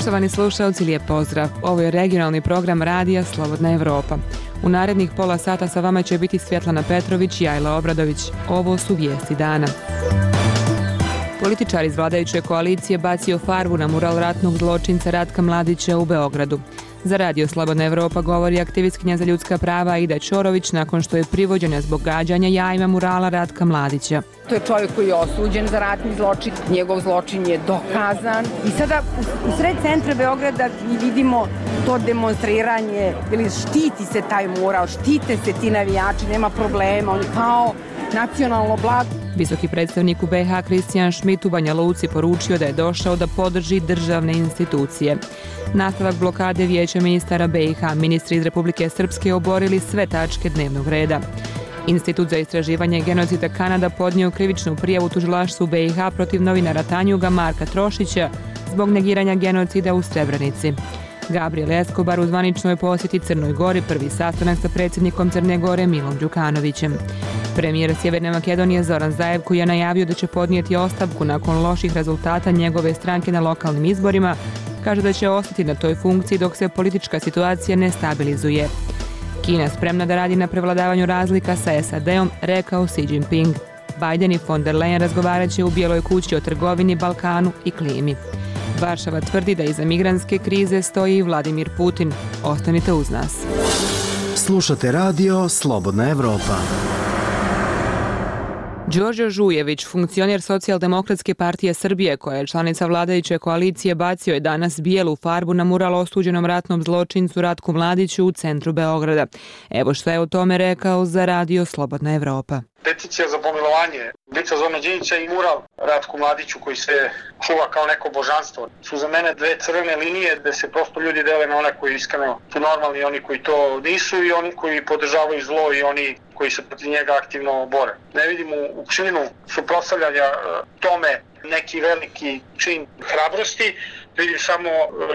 Poštovani slušalci, lijep pozdrav. Ovo je regionalni program radija Slobodna Evropa. U narednih pola sata sa vama će biti Svjetlana Petrović i Ajla Obradović. Ovo su vijesti dana. Političar iz vladajuće koalicije bacio farbu na mural ratnog zločinca Ratka Mladića u Beogradu. Za radio Slobodna Evropa govori aktivistkinja za ljudska prava Aida Ćorović nakon što je privođena zbog gađanja jajima murala Ratka Mladića. To je čovjek koji je osuđen za ratni zločin, njegov zločin je dokazan. I sada u sred centra Beograda vidimo to demonstriranje, ili štiti se taj mural, štite se ti navijači, nema problema, oni kao nacionalno blago. Visoki predstavnik u BiH Kristijan Šmit u Banja Luci poručio da je došao da podrži državne institucije. Nastavak blokade Vijeća ministara BiH, ministri iz Republike Srpske oborili sve tačke dnevnog reda. Institut za istraživanje genocida Kanada podnio krivičnu prijavu tužilaštvu BiH protiv novinara Tanjuga Marka Trošića zbog negiranja genocida u Srebrenici. Gabriel Escobar u zvaničnoj posjeti Crnoj Gori, prvi sastanak sa predsjednikom Crne Gore Milom Đukanovićem. Premijer Sjeverne Makedonije Zoran Zaev, koji je najavio da će podnijeti ostavku nakon loših rezultata njegove stranke na lokalnim izborima, kaže da će ostati na toj funkciji dok se politička situacija ne stabilizuje. Kina spremna da radi na prevladavanju razlika sa SAD-om, rekao Xi Jinping. Biden i von der Leyen razgovarat će u Bijeloj kući o trgovini, Balkanu i klimi. Varšava tvrdi da iza migrantske krize stoji i Vladimir Putin. Ostanite uz nas. Slušate radio Slobodna Evropa. Đorđe Žujević, funkcioner Socijaldemokratske partije Srbije, koja je članica vladajuće koalicije, bacio je danas bijelu farbu na mural osuđenom ratnom zločincu Ratku Mladiću u centru Beograda. Evo što je o tome rekao za radio Slobodna Evropa. Peticija za pomilovanje lica Zorana Đinđića i mural Ratku Mladiću koji se čuva kao neko božanstvo su za mene dve crvene linije gde se prosto ljudi dele na one koji iskreno su normalni i oni koji to nisu i oni koji podržavaju zlo i oni koji se protiv njega aktivno bore. Ne vidim u činu suprotstavljanja tome neki veliki čin hrabrosti, vidim samo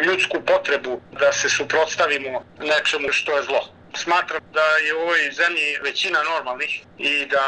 ljudsku potrebu da se suprotstavimo nečemu što je zlo. Smatram da je u ovoj zemlji većina normalnih i da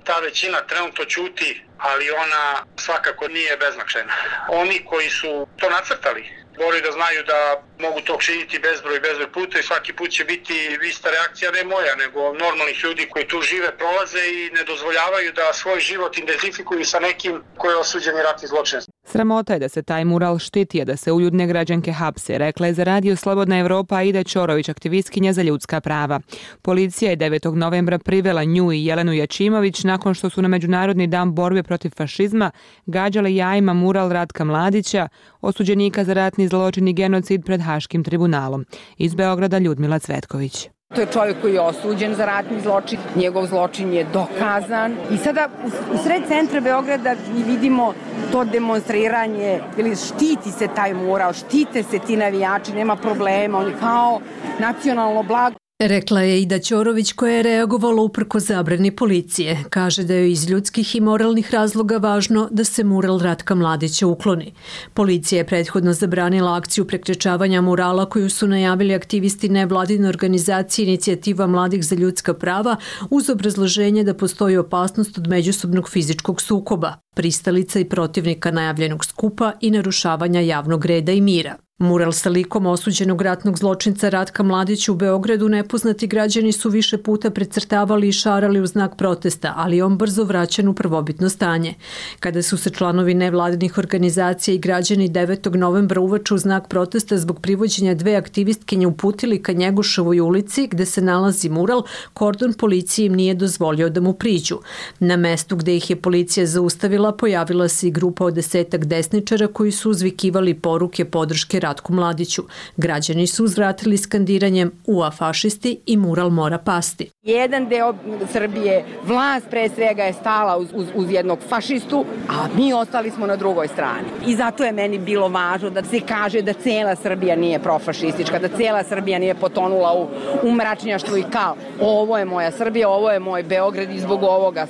ta većina trenutno ćuti, ali ona svakako nije beznačajna. Oni koji su to nacrtali moraju da znaju da mogu to činiti bezbroj puta i svaki put će biti ista reakcija, ne moja, nego normalnih ljudi koji tu žive, prolaze i ne dozvoljavaju da svoj život identifikuju sa nekim koji je osuđeni ratni zločinac. Sramota je da se taj mural štiti, a da se uljudne građanke hapse, rekla je za radio Slobodna Evropa Aida Ćorović, aktivistkinja za ljudska prava. Policija je 9. novembra privela nju i Jelenu Jačimović nakon što su na Međunarodni dan borbe protiv fašizma gađale jajima mural Ratka Mladića, osuđenika za ratni zločin i genocid pred Haškim tribunalom. Iz Beograda Ljudmila Cvetković. To je čovjek koji je osuđen za ratni zločin, njegov zločin je dokazan. I sada u sred centra Beograda vidimo to demonstriranje, ili štiti se taj mural, štite se ti navijači, nema problema, oni kao nacionalno blago. Rekla je Aida Ćorović, koja je reagovala uprkos zabrani policije. Kaže da je iz ljudskih i moralnih razloga važno da se mural Ratka Mladića ukloni. Policija je prethodno zabranila akciju prekrečavanja murala koju su najavili aktivisti nevladine organizacije Inicijativa mladih za ljudska prava uz obrazloženje da postoji opasnost od međusobnog fizičkog sukoba, pristalica i protivnika najavljenog skupa i narušavanja javnog reda i mira. Mural sa likom osuđenog ratnog zločinca Ratka Mladića u Beogradu nepoznati građani su više puta precrtavali i šarali u znak protesta, ali on brzo vraćan u prvobitno stanje. Kada su se članovi nevladinih organizacija i građani 9. novembra uveče u znak protesta zbog privođenja dve aktivistkinje uputili ka Njegoševoj ulici gde se nalazi mural, kordon policije im nije dozvolio da mu priđu. Na mestu gde ih je policija zaustavila pojavila se i grupa od 10 desničara koji su uzvikivali poruke podrške Ratku Mladiću. Građani su uzvratili skandiranjem "Ua fašisti" i mural mora pasti. Jedan deo Srbije, vlast pre svega je stala uz jednog fašistu, a mi ostali smo na drugoj strani. I zato je meni bilo važno da se kaže da cela Srbija nije profašistička, da cela Srbija nije potonula u mračnjaštvo i kal. Ovo je moja Srbija, ovo je moj Beograd i zbog ovoga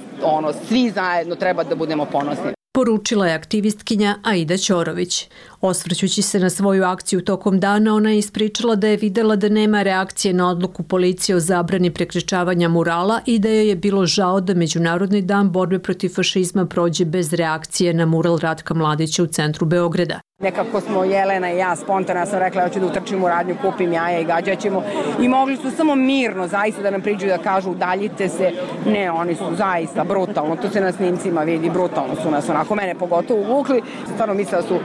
svi zajedno treba da budemo ponosni. Poručila je aktivistkinja Aida Ćorović. Osvrćući se na svoju akciju tokom dana, ona je ispričala da je videla da nema reakcije na odluku policije o zabrani prekrečavanja murala i da joj je bilo žao da Međunarodni dan borbe protiv fašizma prođe bez reakcije na mural Ratka Mladića u centru Beograda. Nekako smo Jelena i ja spontano, ja sam rekla ja ću da utrčim u radnju, kupim jaja i gađaćemo. I mogli su samo mirno zaista da nam priđu da kažu udaljite se. Ne, oni su zaista brutalno, to se na snimcima vidi, brutalno su nas onako, mene pogotovo uvukli. Stvarno mislila su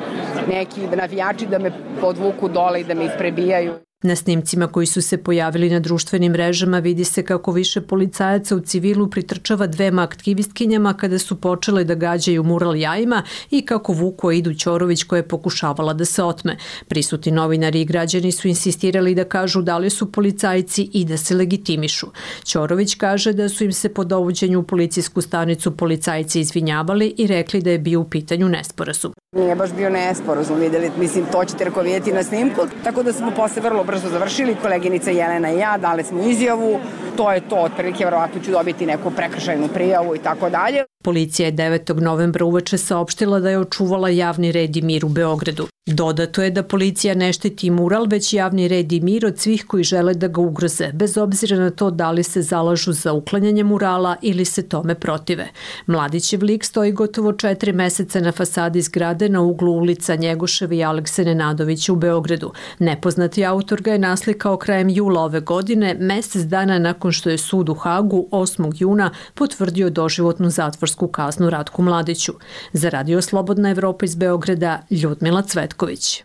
neki navijači da me podvuku dole i da me isprebijaju. Na snimcima koji su se pojavili na društvenim mrežama vidi se kako više policajaca u civilu pritrčava dvema aktivistkinjama kada su počele da gađaju mural jajima i kako vuku Aidu Ćorović koja je pokušavala da se otme. Prisutni novinari i građani su insistirali da kažu da li su policajci i da se legitimišu. Ćorović kaže da su im se po dovođenju u policijsku stanicu policajci izvinjavali i rekli da je bio u pitanju nesporazum. Nije baš bio nesporazum, vidjeli, mislim, to ćete vidjeti na snimku, tako da smo posle vrlo brzo završili, koleginica Jelena i ja, dali smo izjavu, to je to, otprilike, verovatno ću dobiti neku prekršajnu prijavu i tako dalje. Policija je 9. novembra uveče saopštila da je očuvala javni red i mir u Beogradu. Dodato je da policija ne štiti mural, već javni red i mir od svih koji žele da ga ugroze, bez obzira na to da li se zalažu za uklanjanje murala ili se tome protive. Mladićev lik stoji gotovo 4 meseca na fasadi zgrade na uglu ulica Njegoševa i Alekse Nenadovića u Beogradu. Nepoznati autor ga je naslikao krajem jula ove godine, mesec dana nakon što je sud u Hagu 8. juna potvrdio doživotnu zatvorsku kaznu Ratku Mladiću. Za Radio Slobodna Evropa iz Beograda, Ljudmila Cvetković.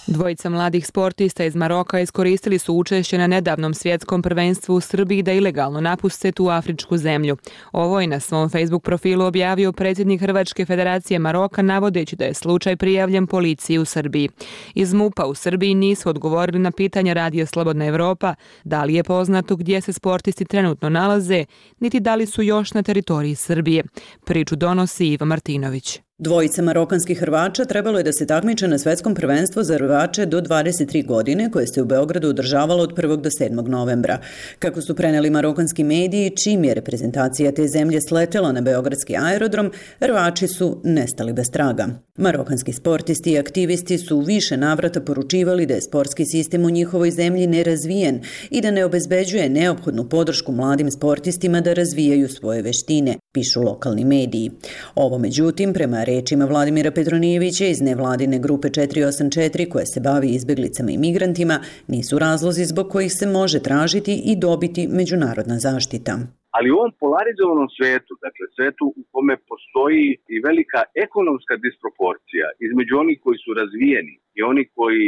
Dvojica mladih sportista iz Maroka iskoristili su učešće na nedavnom svjetskom prvenstvu u Srbiji da ilegalno napuste tu afričku zemlju. Ovo je na svom Facebook profilu objavio predsjednik Hrvačke federacije Maroka navodeći da je slučaj prijavljen policiji u Srbiji. Iz MUP-a u Srbiji nisu odgovorili na pitanja Radio Slobodna Evropa da li je poznato gdje se sportisti trenutno nalaze, niti da li su još na teritoriji Srbije. Priču donosi Iva Martinović. Dvojica marokanskih Hrvača trebalo je da se takmiče na svetskom prvenstvu za Hrvače do 23 godine koje se u Beogradu održavalo od 1. do 7. novembra. Kako su preneli marokanski mediji, čim je reprezentacija te zemlje sletela na beogradski aerodrom, Hrvači su nestali bez traga. Marokanski sportisti i aktivisti su u više navrata poručivali da je sportski sistem u njihovoj zemlji nerazvijen i da ne obezbeđuje neophodnu podršku mladim sportistima da razvijaju svoje veštine, pišu lokalni mediji. Ovo, međutim, prema rečima Vladimira Petronijevića iz nevladine grupe 484 koja se bavi izbjeglicama i migrantima, nisu razlozi zbog kojih se može tražiti i dobiti međunarodna zaštita. Ali u ovom polarizovanom svetu, dakle svetu u kome postoji i velika ekonomska disproporcija između onih koji su razvijeni i oni koji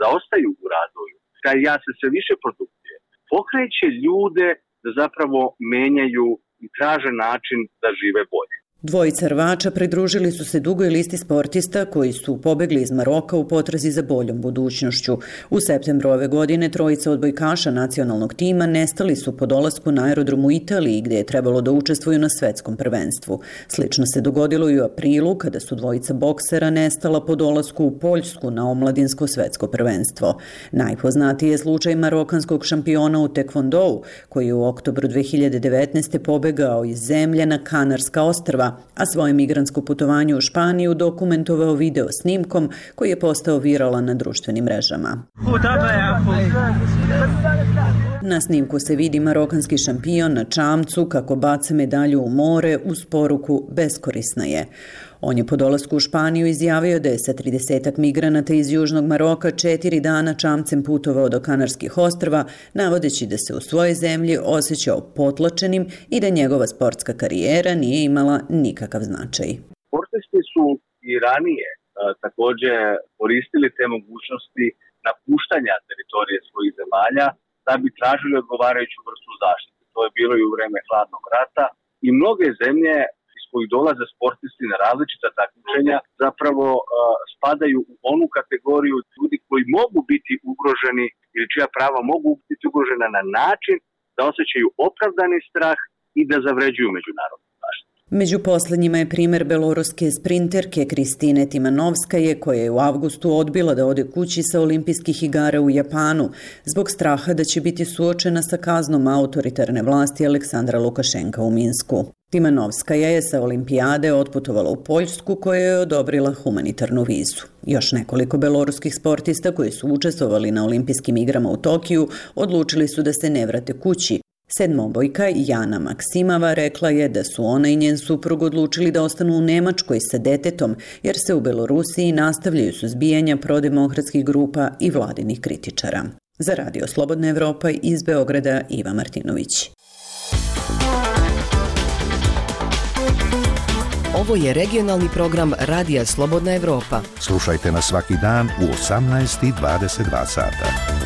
zaostaju u razvoju, taj jaz se sve više produkcije, pokreće ljude da zapravo menjaju i traže način da žive bolje. Dvojica Hrvača pridružili su se dugoj listi sportista koji su pobegli iz Maroka u potrazi za boljom budućnošću. U septembru ove godine trojica odbojkaša nacionalnog tima nestali su po dolasku na aerodrom u Italiji gdje je trebalo da učestvuju na svetskom prvenstvu. Slično se dogodilo i u aprilu kada su dvojica boksera nestala po dolasku u Poljsku na omladinsko svetsko prvenstvo. Najpoznatiji je slučaj marokanskog šampiona u tekvondou koji je u oktobru 2019. pobegao iz zemlje na Kanarska ostrva, a svoje migrantsko putovanje u Španiju dokumentovao video snimkom koji je postao viralan na društvenim mrežama. Na snimku se vidi marokanski šampion na čamcu kako baca medalju u more uz poruku beskorisna je. On je po dolasku u Španiju izjavio da je sa 30-ak migranata iz Južnog Maroka 4 dana čamcem putovao do Kanarskih ostrva, navodeći da se u svojoj zemlji osjećao potlačenim i da njegova sportska karijera nije imala nikakav značaj. Sportisti su i ranije također koristili te mogućnosti napuštanja teritorije svojih zemalja da bi tražili odgovarajuću vrstu zaštite. To je bilo i u vreme hladnog rata i mnoge zemlje koji dolaze sportisti na različita takmičenja zapravo spadaju u onu kategoriju ljudi koji mogu biti ugroženi ili čija prava mogu biti ugrožena na način da osjećaju opravdani strah i da zavređuju međunarodnu zaštitu. Među posljednjima je primjer beloruske sprinterke Kristine Timanovskaje koja je u avgustu odbila da ode kući sa olimpijskih igara u Japanu zbog straha da će biti suočena sa kaznom autoritarne vlasti Aleksandra Lukašenka u Minsku. Timanovskaja je sa olimpijade otputovala u Poljsku koja je odobrila humanitarnu vizu. Još nekoliko beloruskih sportista koji su učestvovali na olimpijskim igrama u Tokiju odlučili su da se ne vrate kući. Sedmobojka Jana Maksimava rekla je da su ona i njen suprug odlučili da ostanu u Nemačkoj sa detetom, jer se u Belorusiji nastavljaju suzbijanja prodemokratskih grupa i vladinih kritičara. Za Radio Slobodna Evropa iz Beograda Iva Martinović. Ovo je regionalni program Radija Slobodna Evropa. Slušajte nas svaki dan u 18:22 sata.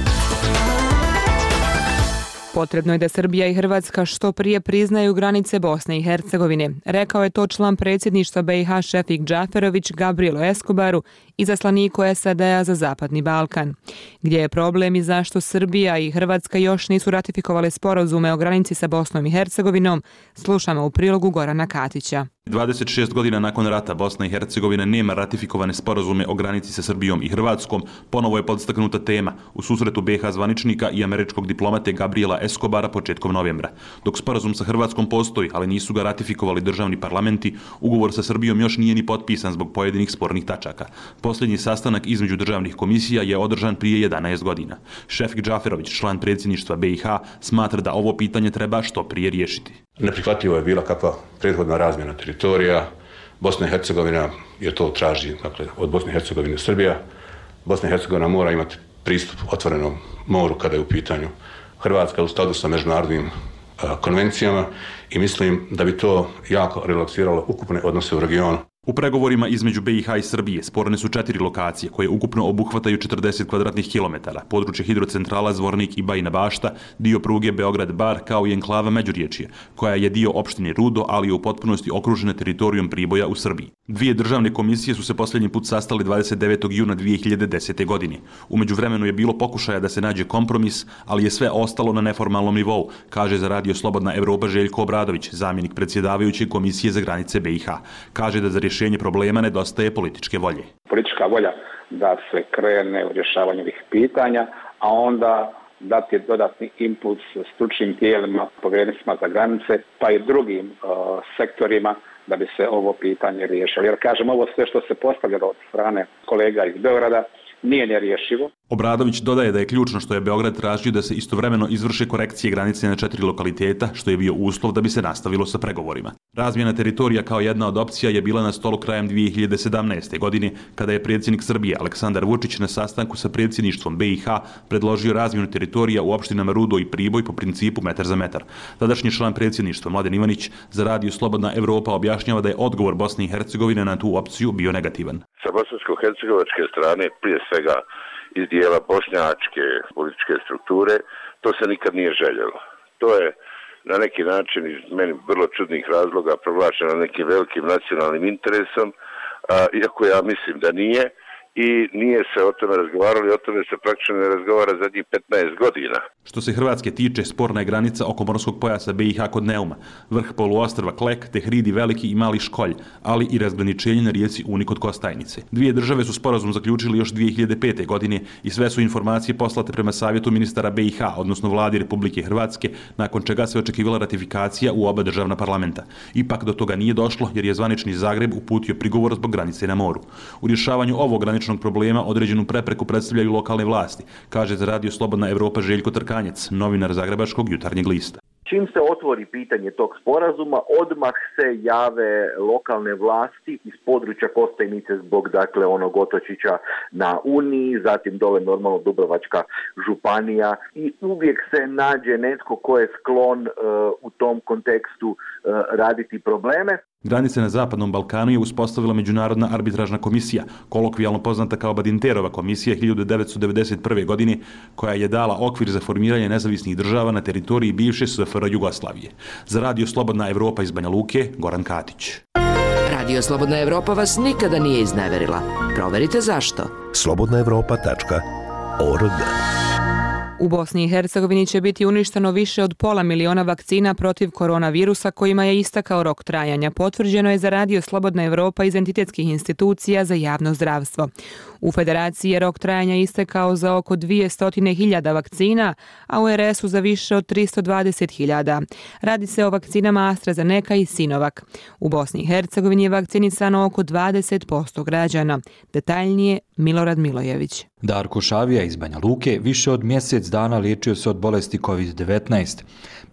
Potrebno je da Srbija i Hrvatska što prije priznaju granice Bosne i Hercegovine. Rekao je to član predsjedništva BiH Šefik Džaferović Gabrielo Escobaru, izaslaniku SAD-a za Zapadni Balkan. Gdje je problem i zašto Srbija i Hrvatska još nisu ratifikovale sporazume o granici sa Bosnom i Hercegovinom, slušamo u prilogu Gorana Katića. 26 godina nakon rata Bosna i Hercegovina nema ratifikovane sporazume o granici sa Srbijom i Hrvatskom, ponovo je podstaknuta tema u susretu BiH zvaničnika i američkog diplomate Gabriela Escobara početkom novembra. Dok sporazum sa Hrvatskom postoji, ali nisu ga ratifikovali državni parlamenti, ugovor sa Srbijom još nije ni potpisan zbog pojedinih spornih tačaka. Posljednji sastanak između državnih komisija je održan prije 11 godina. Šefik Džaferović, član predsjedništva BiH, smatra da ovo pitanje treba što prije riješiti. Neprihvatljivo je bila kakva prethodna razmjena teritorija. Bosna i Hercegovina je to traži, dakle, od Bosne i Hercegovine Srbija. Bosna i Hercegovina mora imati pristup otvorenom moru kada je u pitanju Hrvatska u skladu sa međunarodnim konvencijama i mislim da bi to jako relaksiralo ukupne odnose u regionu. U pregovorima između BiH i Srbije sporne su 4 lokacije koje ukupno obuhvataju 40 kvadratnih kilometara, područje hidrocentrala Zvornik i Bajina Bašta, dio pruge Beograd-Bar kao i enklava Međuriječje, koja je dio opštine Rudo, ali je u potpunosti okružena teritorijom Priboja u Srbiji. Dvije državne komisije su se posljednji put sastali 29. juna 2010. godine. U međuvremenu je bilo pokušaja da se nađe kompromis, ali je sve ostalo na neformalnom nivou, kaže za Radio Slobodna Evropa Željko Obradović, zamjenik predsjedavajuće Komisije za granice BiH. Kaže da za rješenje problema nedostaje političke volje. Politička volja da se krene u rješavanju ovih pitanja, a onda dati dodatni impuls stručnim tijelima, povjerenicima za granice, pa i drugim sektorima da bi se ovo pitanje riješilo. Jer kažem, ovo sve što se postavljalo od strane kolega iz Beograda nije nerješivo. Obradović dodaje da je ključno što je Beograd tražio da se istovremeno izvrše korekcije granice na 4 lokaliteta, što je bio uslov da bi se nastavilo sa pregovorima. Razmjena teritorija kao jedna od opcija je bila na stolu krajem 2017. godine, kada je predsjednik Srbije Aleksandar Vučić na sastanku sa predsjedništvom BiH predložio razmjenu teritorija u opštinama Rudo i Priboj po principu metar za metar. Tadašnji član predsjedništva Mladen Ivanić za Radio Slobodna Evropa objašnjava da je odgovor Bosne i Hercegovine na tu opciju bio negativan. Sa bosansko-hercegovačke strane, prije svega iz dijela bošnjačke političke strukture, to se nikad nije željelo. To je na neki način iz meni vrlo čudnih razloga proglašeno nekim velikim nacionalnim interesom, iako ja mislim da nije. I nije se o tome razgovaralo i o tome se praktično ne razgovara zadnjih 15 godina. Što se Hrvatske tiče, sporna je granica oko morskog pojasa BiH kod Neuma, vrh poluostrva Klek, te hridi Veliki i Mali Školj, ali i razgraničenje na rijeci Uni kod Kostajnice. Dvije države su sporazum zaključili još 2005. godine i sve su informacije poslate prema savjetu ministara BiH, odnosno vladi Republike Hrvatske, nakon čega se očekivala ratifikacija u oba državna parlamenta. Ipak do toga nije došlo jer je zvanični Zagreb uputio prigovor zbog granice na moru. U rješavanju ovog graničnog problema određenu prepreku predstavljaju lokalne vlasti, kaže za Radio Slobodna Evropa Željko Trkanjec, novinar Zagrebačkog Jutarnjeg lista. Čim se otvori pitanje tog sporazuma, odmah se jave lokalne vlasti iz područja Kostajnice zbog onog otočića na Uniji, zatim dole normalno Dubrovačka županija i uvijek se nađe netko ko je sklon u tom kontekstu raditi probleme. Granice na Zapadnom Balkanu je uspostavila Međunarodna arbitražna komisija, kolokvijalno poznata kao Badinterova komisija 1991. godine, koja je dala okvir za formiranje nezavisnih država na teritoriji bivše SFRJ Jugoslavije. Za Radio Slobodna Evropa iz Banja Luke, Goran Katić. Radio Slobodna Evropa vas nikada nije izneverila. Proverite zašto. slobodnaevropa.org. U Bosni i Hercegovini će biti uništeno više od 500.000 vakcina protiv koronavirusa kojima je istakao rok trajanja. Potvrđeno je za Radio Slobodna Evropa iz entitetskih institucija za javno zdravstvo. U Federaciji je rok trajanja istekao za oko 200.000 vakcina, a u RS-u za više od 320.000. Radi se o vakcinama AstraZeneca i Sinovac. U Bosni i Hercegovini je vakcinisano oko 20% građana. Detaljnije Milorad Milojević. Darko Šavija iz Banja Luke više od mjesec dana liječio se od bolesti COVID-19.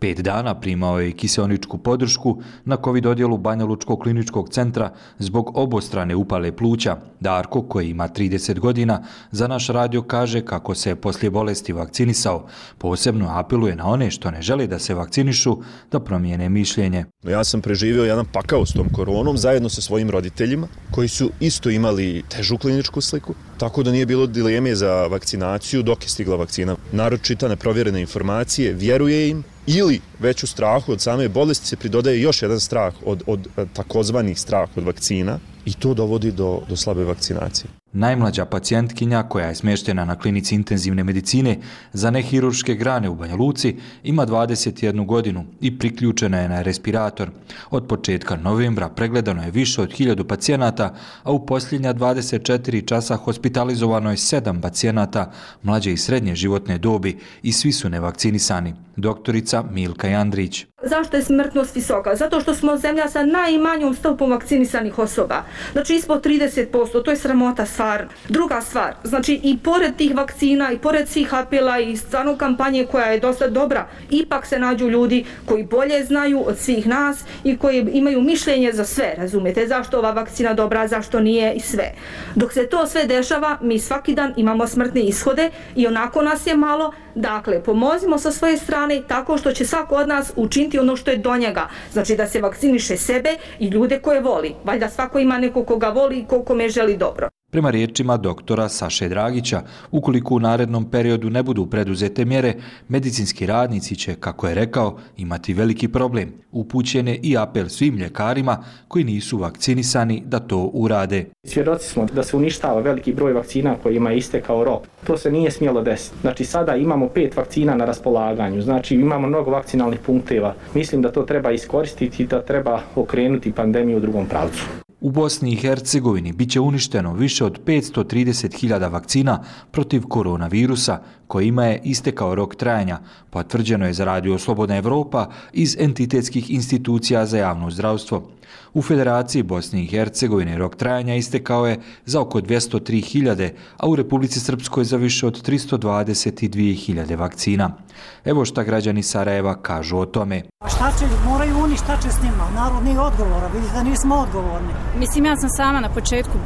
5 dana primao je i kiseoničku podršku na COVID odjelu Banja Lučkog kliničkog centra zbog obostrane upale pluća. Darko, koji ima 30 godina, za naš radio kaže kako se poslije bolesti vakcinisao. Posebno apeluje na one što ne žele da se vakcinišu da promijene mišljenje. Ja sam preživio jedan pakao s tom koronom zajedno sa svojim roditeljima koji su isto imali težu kliničku sliku, tako da nije bilo dileme za vakcinaciju dok je stigla vakcina. Narod čita neprovjerene informacije, vjeruje im ili već u strahu od same bolesti se pridodaje još jedan strah od takozvanih strah od vakcina i to dovodi do slabe vakcinacije. Najmlađa pacijentkinja koja je smještena na klinici intenzivne medicine za nehirurške grane u Banja Luci ima 21 godinu i priključena je na respirator. Od početka novembra pregledano je više od 1000 pacijenata, a u posljednja 24 časa hospitalizovano je 7 pacijenata mlađe i srednje životne dobi i svi su nevakcinisani. Doktorica Milka Jandrić. Zašto je smrtnost visoka? Zato što smo zemlja sa najmanjom stopom vakcinisanih osoba. Znači ispod 30%, to je sramota stvarno. Druga stvar, znači i pored tih vakcina i pored svih apela i stvarno kampanje koja je dosta dobra, ipak se nađu ljudi koji bolje znaju od svih nas i koji imaju mišljenje za sve, razumijete, zašto ova vakcina dobra, zašto nije i sve. Dok se to sve dešava, mi svaki dan imamo smrtne ishode i onako nas je malo. Dakle, pomozimo sa svoje strane tako što će svako od nas učiniti ono što je do njega. Znači da se vakciniše sebe i ljude koje voli. Valjda svako ima neko koga voli i kome želi dobro. Prema riječima doktora Saše Dragića, ukoliko u narednom periodu ne budu preduzete mjere, medicinski radnici će, kako je rekao, imati veliki problem. Upućen je i apel svim ljekarima koji nisu vakcinisani da to urade. Svjedoci smo da se uništava veliki broj vakcina kojima je istekao rok. To se nije smjelo desiti. Znači sada imamo 5 vakcina na raspolaganju, znači imamo mnogo vakcinalnih punkteva. Mislim da to treba iskoristiti i da treba okrenuti pandemiju u drugom pravcu. U Bosni i Hercegovini bit će uništeno više od 530.000 vakcina protiv koronavirusa, kojima je istekao rok trajanja, potvrđeno je za Radio Slobodna Evropa iz entitetskih institucija za javno zdravstvo. U Federaciji Bosne i Hercegovine rok trajanja istekao je za oko 203.000, a u Republici Srpskoj za više od 322.000 vakcina. Evo šta građani Sarajeva kažu o tome. Šta će, moraju oni, šta će s njima? Narod nije odgovoran, vidite da nismo odgovorni. Mislim, ja sam sama na početku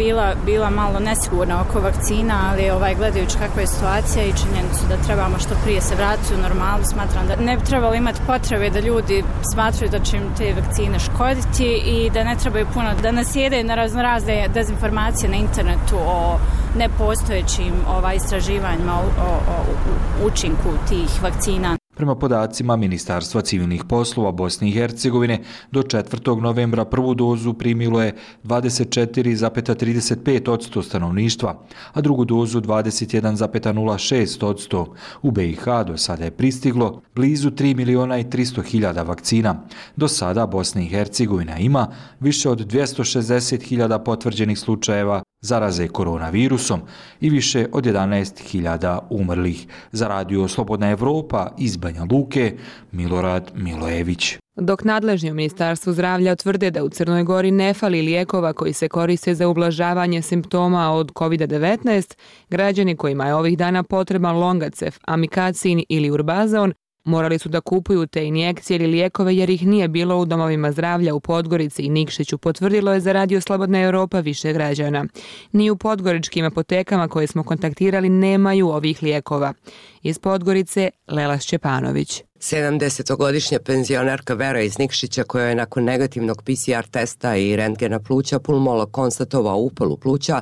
bila malo nesigurna oko vakcina, ali gledajući kakva je situacija i činjenicu da trebamo što prije se vratiti u normalu, smatram da ne bi trebalo imati potrebe da ljudi smatraju da će im te vakcine škoditi i da ne trebaju puno da nasjedaju na razne dezinformacije na internetu o nepostojećim istraživanjima o učinku tih vakcina. Prema podacima Ministarstva civilnih poslova Bosne i Hercegovine, do 4. novembra prvu dozu primilo je 24,35% stanovništva, a drugu dozu 21,06%. U BiH do sada je pristiglo blizu 3.300.000 vakcina. Do sada Bosna i Hercegovina ima više od 260.000 potvrđenih slučajeva zaraze koronavirusom i više od 11.000 umrlih. Za Radio Slobodna Evropa iz Banja Luke, Milorad Milojević. Dok nadležni u Ministarstvu zdravlja tvrde da u Crnoj Gori ne fali lijekova koji se koriste za ublažavanje simptoma od COVID-19, građani kojima je ovih dana potreban Longacef, Amikacin ili Urbazon morali su da kupuju te injekcije ili lijekove jer ih nije bilo u domovima zdravlja u Podgorici i Nikšiću, potvrdilo je za Radio Slobodna Evropa više građana. Ni u podgoričkim apotekama koje smo kontaktirali nemaju ovih lijekova. Iz Podgorice, Lela Šćepanović. 70-godišnja penzionerka Vera iz Nikšića, koja je nakon negativnog PCR testa i rentgena pluća pulmolog konstatovao upalu pluća,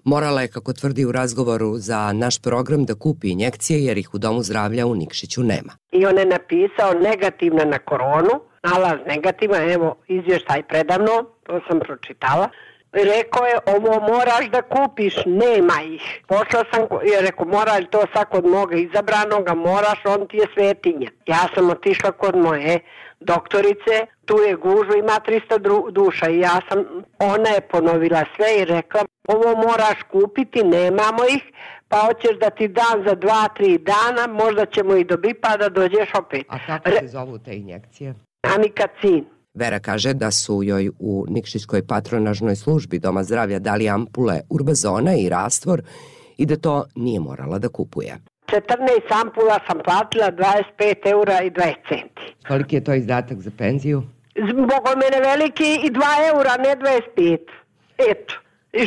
morala je, kako tvrdi u razgovoru za naš program, da kupi injekcije jer ih u domu zdravlja u Nikšiću nema. I on je napisao negativna na koronu, nalaz negativan, evo izvještaj predavno, to sam pročitala. Rekao je, ovo moraš da kupiš, nema ih. Pošla sam i rekao, mora li to sad kod moga izabranoga, moraš, on ti je svetinja. Ja sam otišla kod moje doktorice, tu je gužu, ima 300 duša i ona je ponovila sve i rekla, ovo moraš kupiti, nemamo ih, pa hoćeš da ti dam za 2-3 dana, možda ćemo ih dobiti pa da dođeš opet. A kako se zovu te injekcije? Amikacin. Vera kaže da su joj u Nikšićkoj patronažnoj službi Doma zdravlja dali ampule Urbazona i rastvor i da to nije morala da kupuje. 14 ampula sam platila 25 eura i 20 centi. Koliki je to izdatak za penziju? Zbog mene veliki i 2 eura, ne 25. Eto. I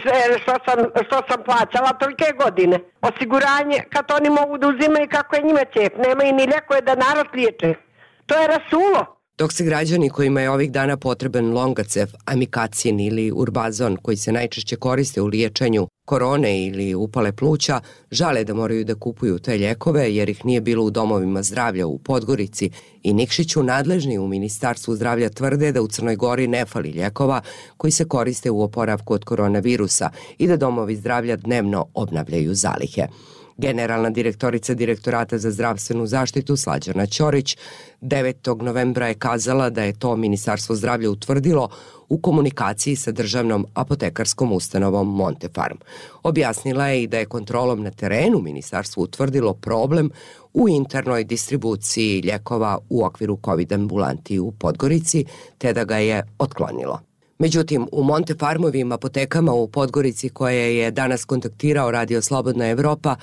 što sam plaćala tolike godine. Osiguranje, kad oni mogu da uzimaju kako je njima ćep. Nema i ni lijekove da narod liječe. To je rasulo. Dok se građani kojima je ovih dana potreban Longacef, Amikacin ili Urbazon, koji se najčešće koriste u liječenju korone ili upale pluća, žale da moraju da kupuju te lijekove jer ih nije bilo u domovima zdravlja u Podgorici i Nikšiću, nadležni u Ministarstvu zdravlja tvrde da u Crnoj Gori ne fali lijekova koji se koriste u oporavku od koronavirusa i da domovi zdravlja dnevno obnavljaju zalihe. Generalna direktorica Direktorata za zdravstvenu zaštitu Slađana Ćorić 9. novembra je kazala da je to Ministarstvo zdravlja utvrdilo u komunikaciji sa državnom apotekarskom ustanovom Montefarm. Objasnila je i da je kontrolom na terenu ministarstvo utvrdilo problem u internoj distribuciji lijekova u okviru COVID ambulanti u Podgorici, te da ga je otklonilo. Međutim, u Montefarmovim apotekama u Podgorici koje je danas kontaktirao Radio Slobodna Evropa,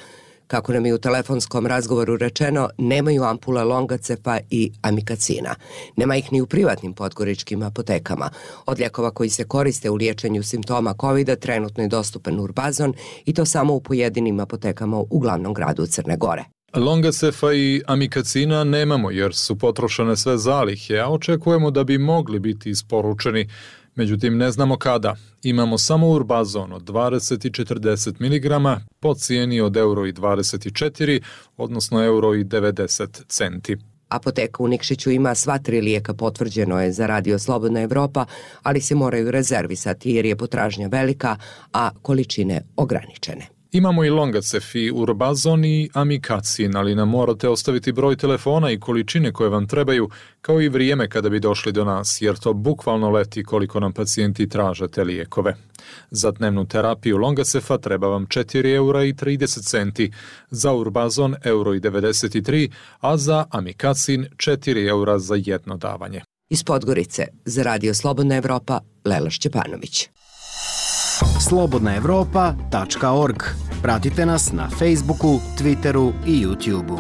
kako nam je u telefonskom razgovoru rečeno, nemaju ampule Longacefa i Amikacina. Nema ih ni u privatnim podgoričkim apotekama. Od lijekova koji se koriste u liječenju simptoma COVID-a trenutno je dostupan Urbazon i to samo u pojedinim apotekama u glavnom gradu Crne Gore. Longacefa i Amikacina nemamo jer su potrošene sve zalihe, a očekujemo da bi mogli biti isporučeni. Međutim, ne znamo kada. Imamo samo Urbazon od 20 i 40 mg po cijeni od €24, odnosno €90. Apoteka u Nikšiću ima sva 3 lijeka, potvrđeno je za Radio Slobodna Evropa, ali se moraju rezervisati jer je potražnja velika, a količine ograničene. Imamo i Longacef i Urbazon i Amikacin, ali nam morate ostaviti broj telefona i količine koje vam trebaju, kao i vrijeme kada bi došli do nas, jer to bukvalno leti koliko nam pacijenti traže te lijekove. Za dnevnu terapiju Longacefa treba vam €4,30, za Urbazon €93, a za Amikacin €4 za jedno davanje. Iz Podgorice, za Radio Slobodna Evropa, Lela Šćepanović. slobodnaevropa.org. Pratite nas na Facebooku, Twitteru i YouTubeu.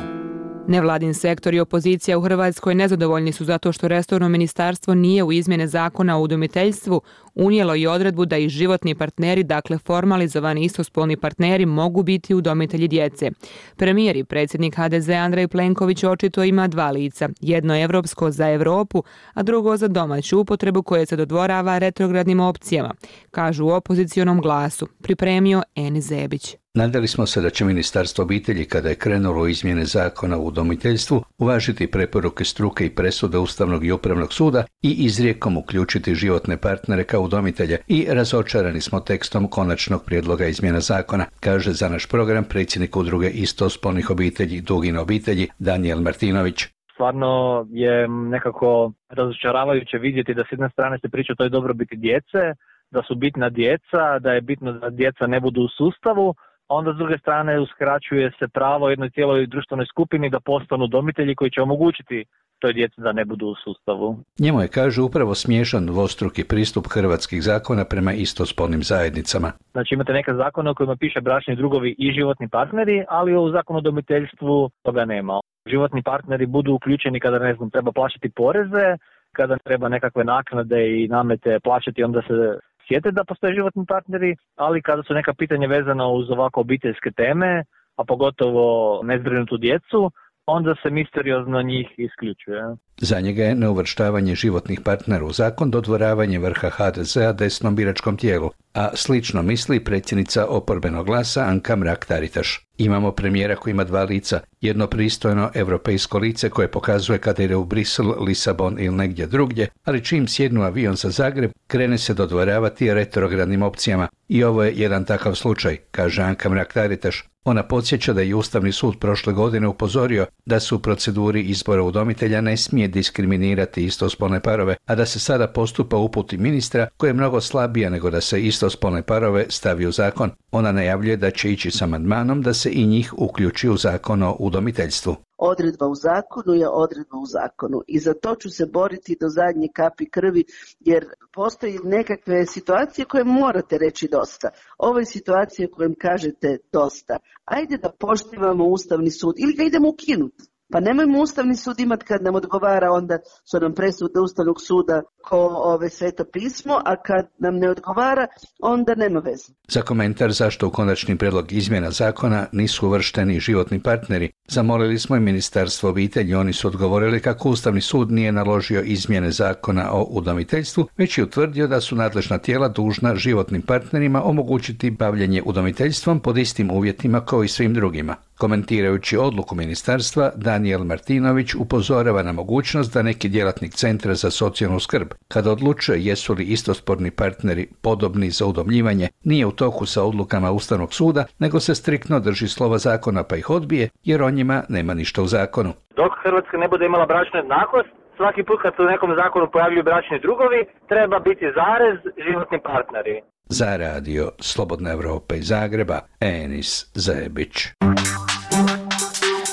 Nevladin sektor i opozicija u Hrvatskoj nezadovoljni su zato što resorno ministarstvo nije u izmjene zakona o udomiteljstvu unijelo i odredbu da i životni partneri, dakle formalizovani istospolni partneri, mogu biti udomitelji djece. Premijer i predsjednik HDZ Andrej Plenković očito ima 2 lica, jedno evropsko za Europu, a drugo za domaću upotrebu koje se dodvorava retrogradnim opcijama, kažu u opozicionom Glasu, pripremio Eni Zebić. Nadali smo se da će Ministarstvo obitelji, kada je krenulo u izmjene zakona o udomiteljstvu, uvažiti preporuke struke i presude Ustavnog i Upravnog suda i izrijekom uključiti životne partnere kao udomitelje i razočarani smo tekstom konačnog prijedloga izmjena zakona, kaže za naš program predsjednik udruge istospolnih obitelji Dugine obitelji Danijel Martinović. Stvarno je nekako razočaravajuće vidjeti da s jedne strane se priča o toj dobrobiti djece, da su bitna djeca, da je bitno da djeca ne budu u sustavu, a onda s druge strane uskraćuje se pravo jednoj cijeloj društvenoj skupini da postanu udomitelji koji će omogućiti toj djeci da ne budu u sustavu. Njemu je, kaže, upravo smiješan dvostruki pristup hrvatskih zakona prema istospolnim zajednicama. Znači imate neke zakone u kojima piše bračni drugovi i životni partneri, ali u zakonu o udomiteljstvu toga nema. Životni partneri budu uključeni kada, ne znam, treba plaćati poreze, kada treba nekakve naknade i namete plaćati, onda se sjete da postoje životni partneri, ali kada su neka pitanja vezana uz ovako obiteljske teme, a pogotovo nezbrinutu djecu, onda se misteriozno njih isključuje. Za njega je neuvrštavanje životnih partnera u zakon dodvoravanje vrha HDZ-a desnom biračkom tijelu, a slično misli predsjednica oporbenog Glasa Anka Mrak-Taritaš. Imamo premijera koji ima 2 lica, jedno pristojno europejsko lice koje pokazuje kada ide u Brisel, Lisabon ili negdje drugdje, ali čim sjednu avion za Zagreb, krene se dodvoravati retrogradnim opcijama. I ovo je jedan takav slučaj, kaže Anka Mrak-Taritaš. Ona podsjeća da je Ustavni sud prošle godine upozorio da se u proceduri izbora udomitelja ne smije diskriminirati istospolne parove, a da se sada postupa uputi ministra koja je mnogo slabija nego da se istospolne istospolne parove stavi u zakon. Ona najavljuje da će ići s amandmanom da se i njih uključi u zakon o udomiteljstvu. Odredba u zakonu je odredba u zakonu i za to ću se boriti do zadnje kapi krvi, jer postoji nekakve situacije koje morate reći dosta. Ovo je situacija u kojem kažete dosta. Ajde da poštivamo Ustavni sud ili ga idemo ukinuti. Pa nemojmo Ustavni sud imati kad nam odgovara, onda su nam presude Ustavnog suda ko Sveto pismo, a kad nam ne odgovara, onda nema veze. Za komentar zašto u konačni prijedlog izmjena zakona nisu uvršteni životni partneri, zamolili smo i Ministarstvo obitelji. Oni su odgovorili kako Ustavni sud nije naložio izmjene zakona o udomiteljstvu, već je utvrdio da su nadležna tijela dužna životnim partnerima omogućiti bavljenje udomiteljstvom pod istim uvjetima kao i svim drugima. Komentirajući odluku ministarstva, Danijel Martinović upozorava na mogućnost da neki djelatnik Centra za socijalnu skrb, kada odlučuje jesu li istospolni partneri podobni za udomljivanje, nije u toku sa odlukama Ustavnog suda, nego se striktno drži slova zakona pa ih odbije, jer o njima nema ništa u zakonu. Dok Hrvatska ne bude imala bračnu jednakost, svaki put kad se u nekom zakonu pojavljuju bračni drugovi, treba biti zarez životni partneri. Za radio Slobodna Evropa iz Zagreba, Enis Zajebić.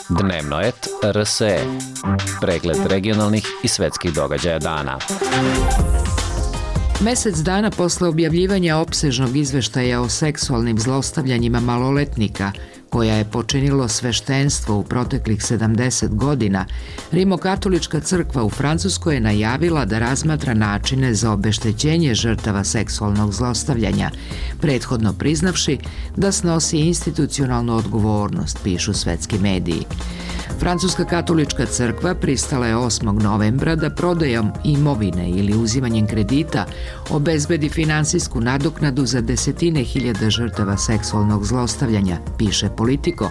Dnevno et RSE. Pregled regionalnih i svetskih događaja dana. Mesec dana posle objavljivanja opsežnog izveštaja o seksualnim zlostavljanjima maloletnika, koja je počinilo sveštenstvo u proteklih 70 godina, Rimokatolička crkva u Francuskoj je najavila da razmatra načine za obeštećenje žrtava seksualnog zlostavljanja, prethodno priznavši da snosi institucionalnu odgovornost, pišu svetski mediji. Francuska katolička crkva pristala je 8. novembra da prodajom imovine ili uzimanjem kredita obezbedi finansijsku nadoknadu za desetine hiljada žrtava seksualnog zlostavljanja, piše Politico,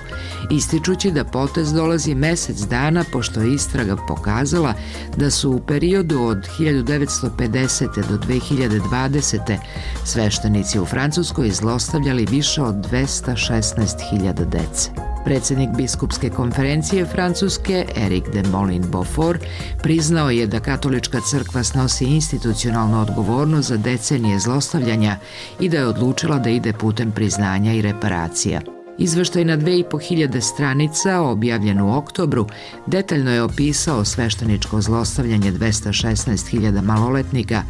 ističući da potez dolazi mesec dana pošto je istraga pokazala da su u periodu od 1950. do 2020. sveštenici u Francuskoj zlostavljali više od 216.000 dece. Predsjednik biskupske konferencije Francuske, Eric de Molin-Beaufort, priznao je da katolička crkva snosi institucionalnu odgovornost za decenije zlostavljanja i da je odlučila da ide putem priznanja i reparacija. Izveštaj na 2500 stranica, objavljen u oktobru, detaljno je opisao svešteničko zlostavljanje 216.000 maloletnika,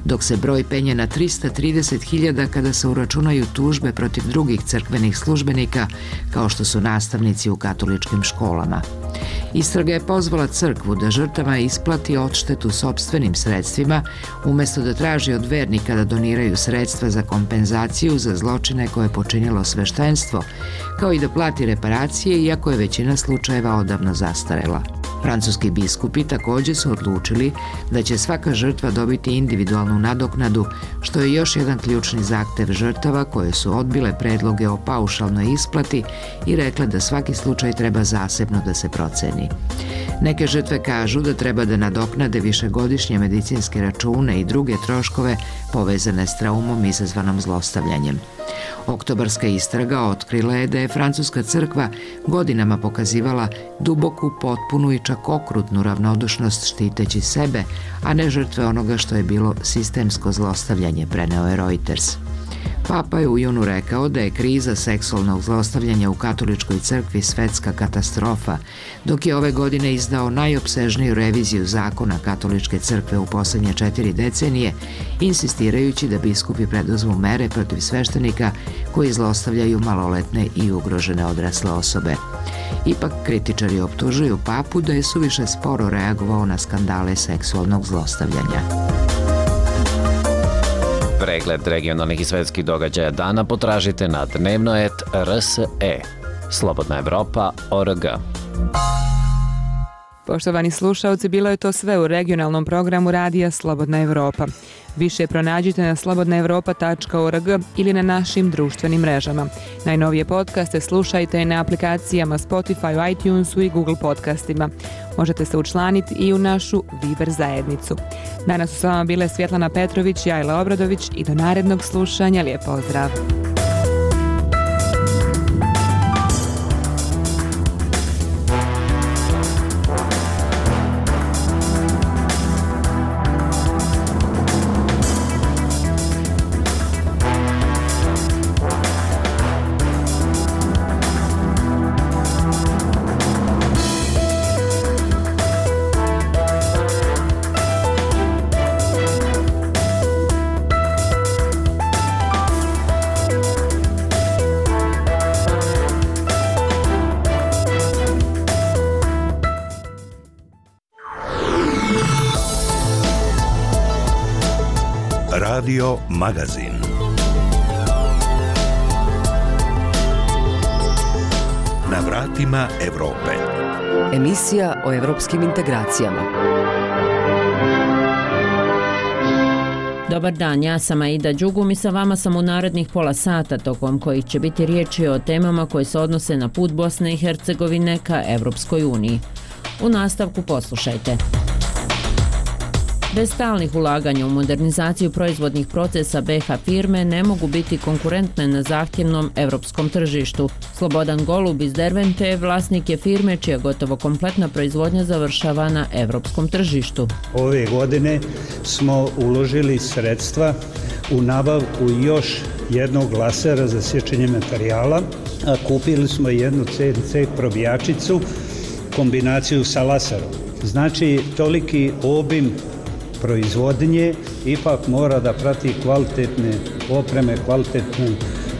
dok se broj penje na 330.000 kada se uračunaju tužbe protiv drugih crkvenih službenika, kao što su nastavnici u katoličkim školama. Istraga je pozvala crkvu da žrtava isplati odštetu sopstvenim sredstvima, umjesto da traži od vernika da doniraju sredstva za kompenzaciju za zločine koje je počinilo sveštenstvo, kao i da plati reparacije, iako je većina slučajeva odavno zastarela. Francuski biskupi također su odlučili da će svaka žrtva dobiti individualnu nadoknadu, što je još jedan ključni zahtev žrtava koje su odbile predloge o paušalnoj isplati i rekle da svaki slučaj treba zasebno da se proceni. Neke žrtve kažu da treba da nadoknade višegodišnje medicinske račune i druge troškove povezane s traumom izazvanom zlostavljanjem. Oktobarska istraga otkrila je da je francuska crkva godinama pokazivala duboku, potpunu i čak okrutnu ravnodušnost štiteći sebe, a ne žrtve onoga što je bilo sistemsko zlostavljanje, preneo je Reuters. Papa je u junu rekao da je kriza seksualnog zlostavljanja u katoličkoj crkvi svetska katastrofa, dok je ove godine izdao najopsežniju reviziju zakona katoličke crkve u posljednje 4 decenije, insistirajući da biskupi preduzmu mere protiv sveštenika koji zlostavljaju maloletne i ugrožene odrasle osobe. Ipak kritičari optužuju papu da je suviše sporo reagovao na skandale seksualnog zlostavljanja. Pregled regionalnih i svetskih događaja dana potražite na dnevnoet.rse. Slobodna Evropa.org. Poštovani slušalci, bilo je to sve u regionalnom programu radija Slobodna Evropa. Više pronađite na slobodnaevropa.org ili na našim društvenim mrežama. Najnovije podcaste slušajte na aplikacijama Spotify, iTunesu i Google podcastima. Možete se učlaniti i u našu Viber zajednicu. Danas su s vama bile Svjetlana Petrović i Ajla Obradović i do narednog slušanja. Lijep pozdrav! Radio Magazin. Na vratima Evrope. Emisija o evropskim integracijama. Dobar dan, ja sam Aida Đugum i sa vama sam u narednih pola sata tokom kojih će biti riječi o temama koje se odnose na put Bosne i Hercegovine ka Evropskoj uniji. U nastavku poslušajte. Bez stalnih ulaganja u modernizaciju proizvodnih procesa BiH firme ne mogu biti konkurentne na zahtjevnom evropskom tržištu. Slobodan Golub iz Dervente vlasnik je firme čija gotovo kompletna proizvodnja završava na evropskom tržištu. Ove godine smo uložili sredstva u nabavku još jednog lasera za sječenje materijala, a kupili smo jednu CNC probijačicu, kombinaciju sa laserom. Znači, toliki obim proizvodnje ipak mora da prati kvalitetne opreme, kvalitetne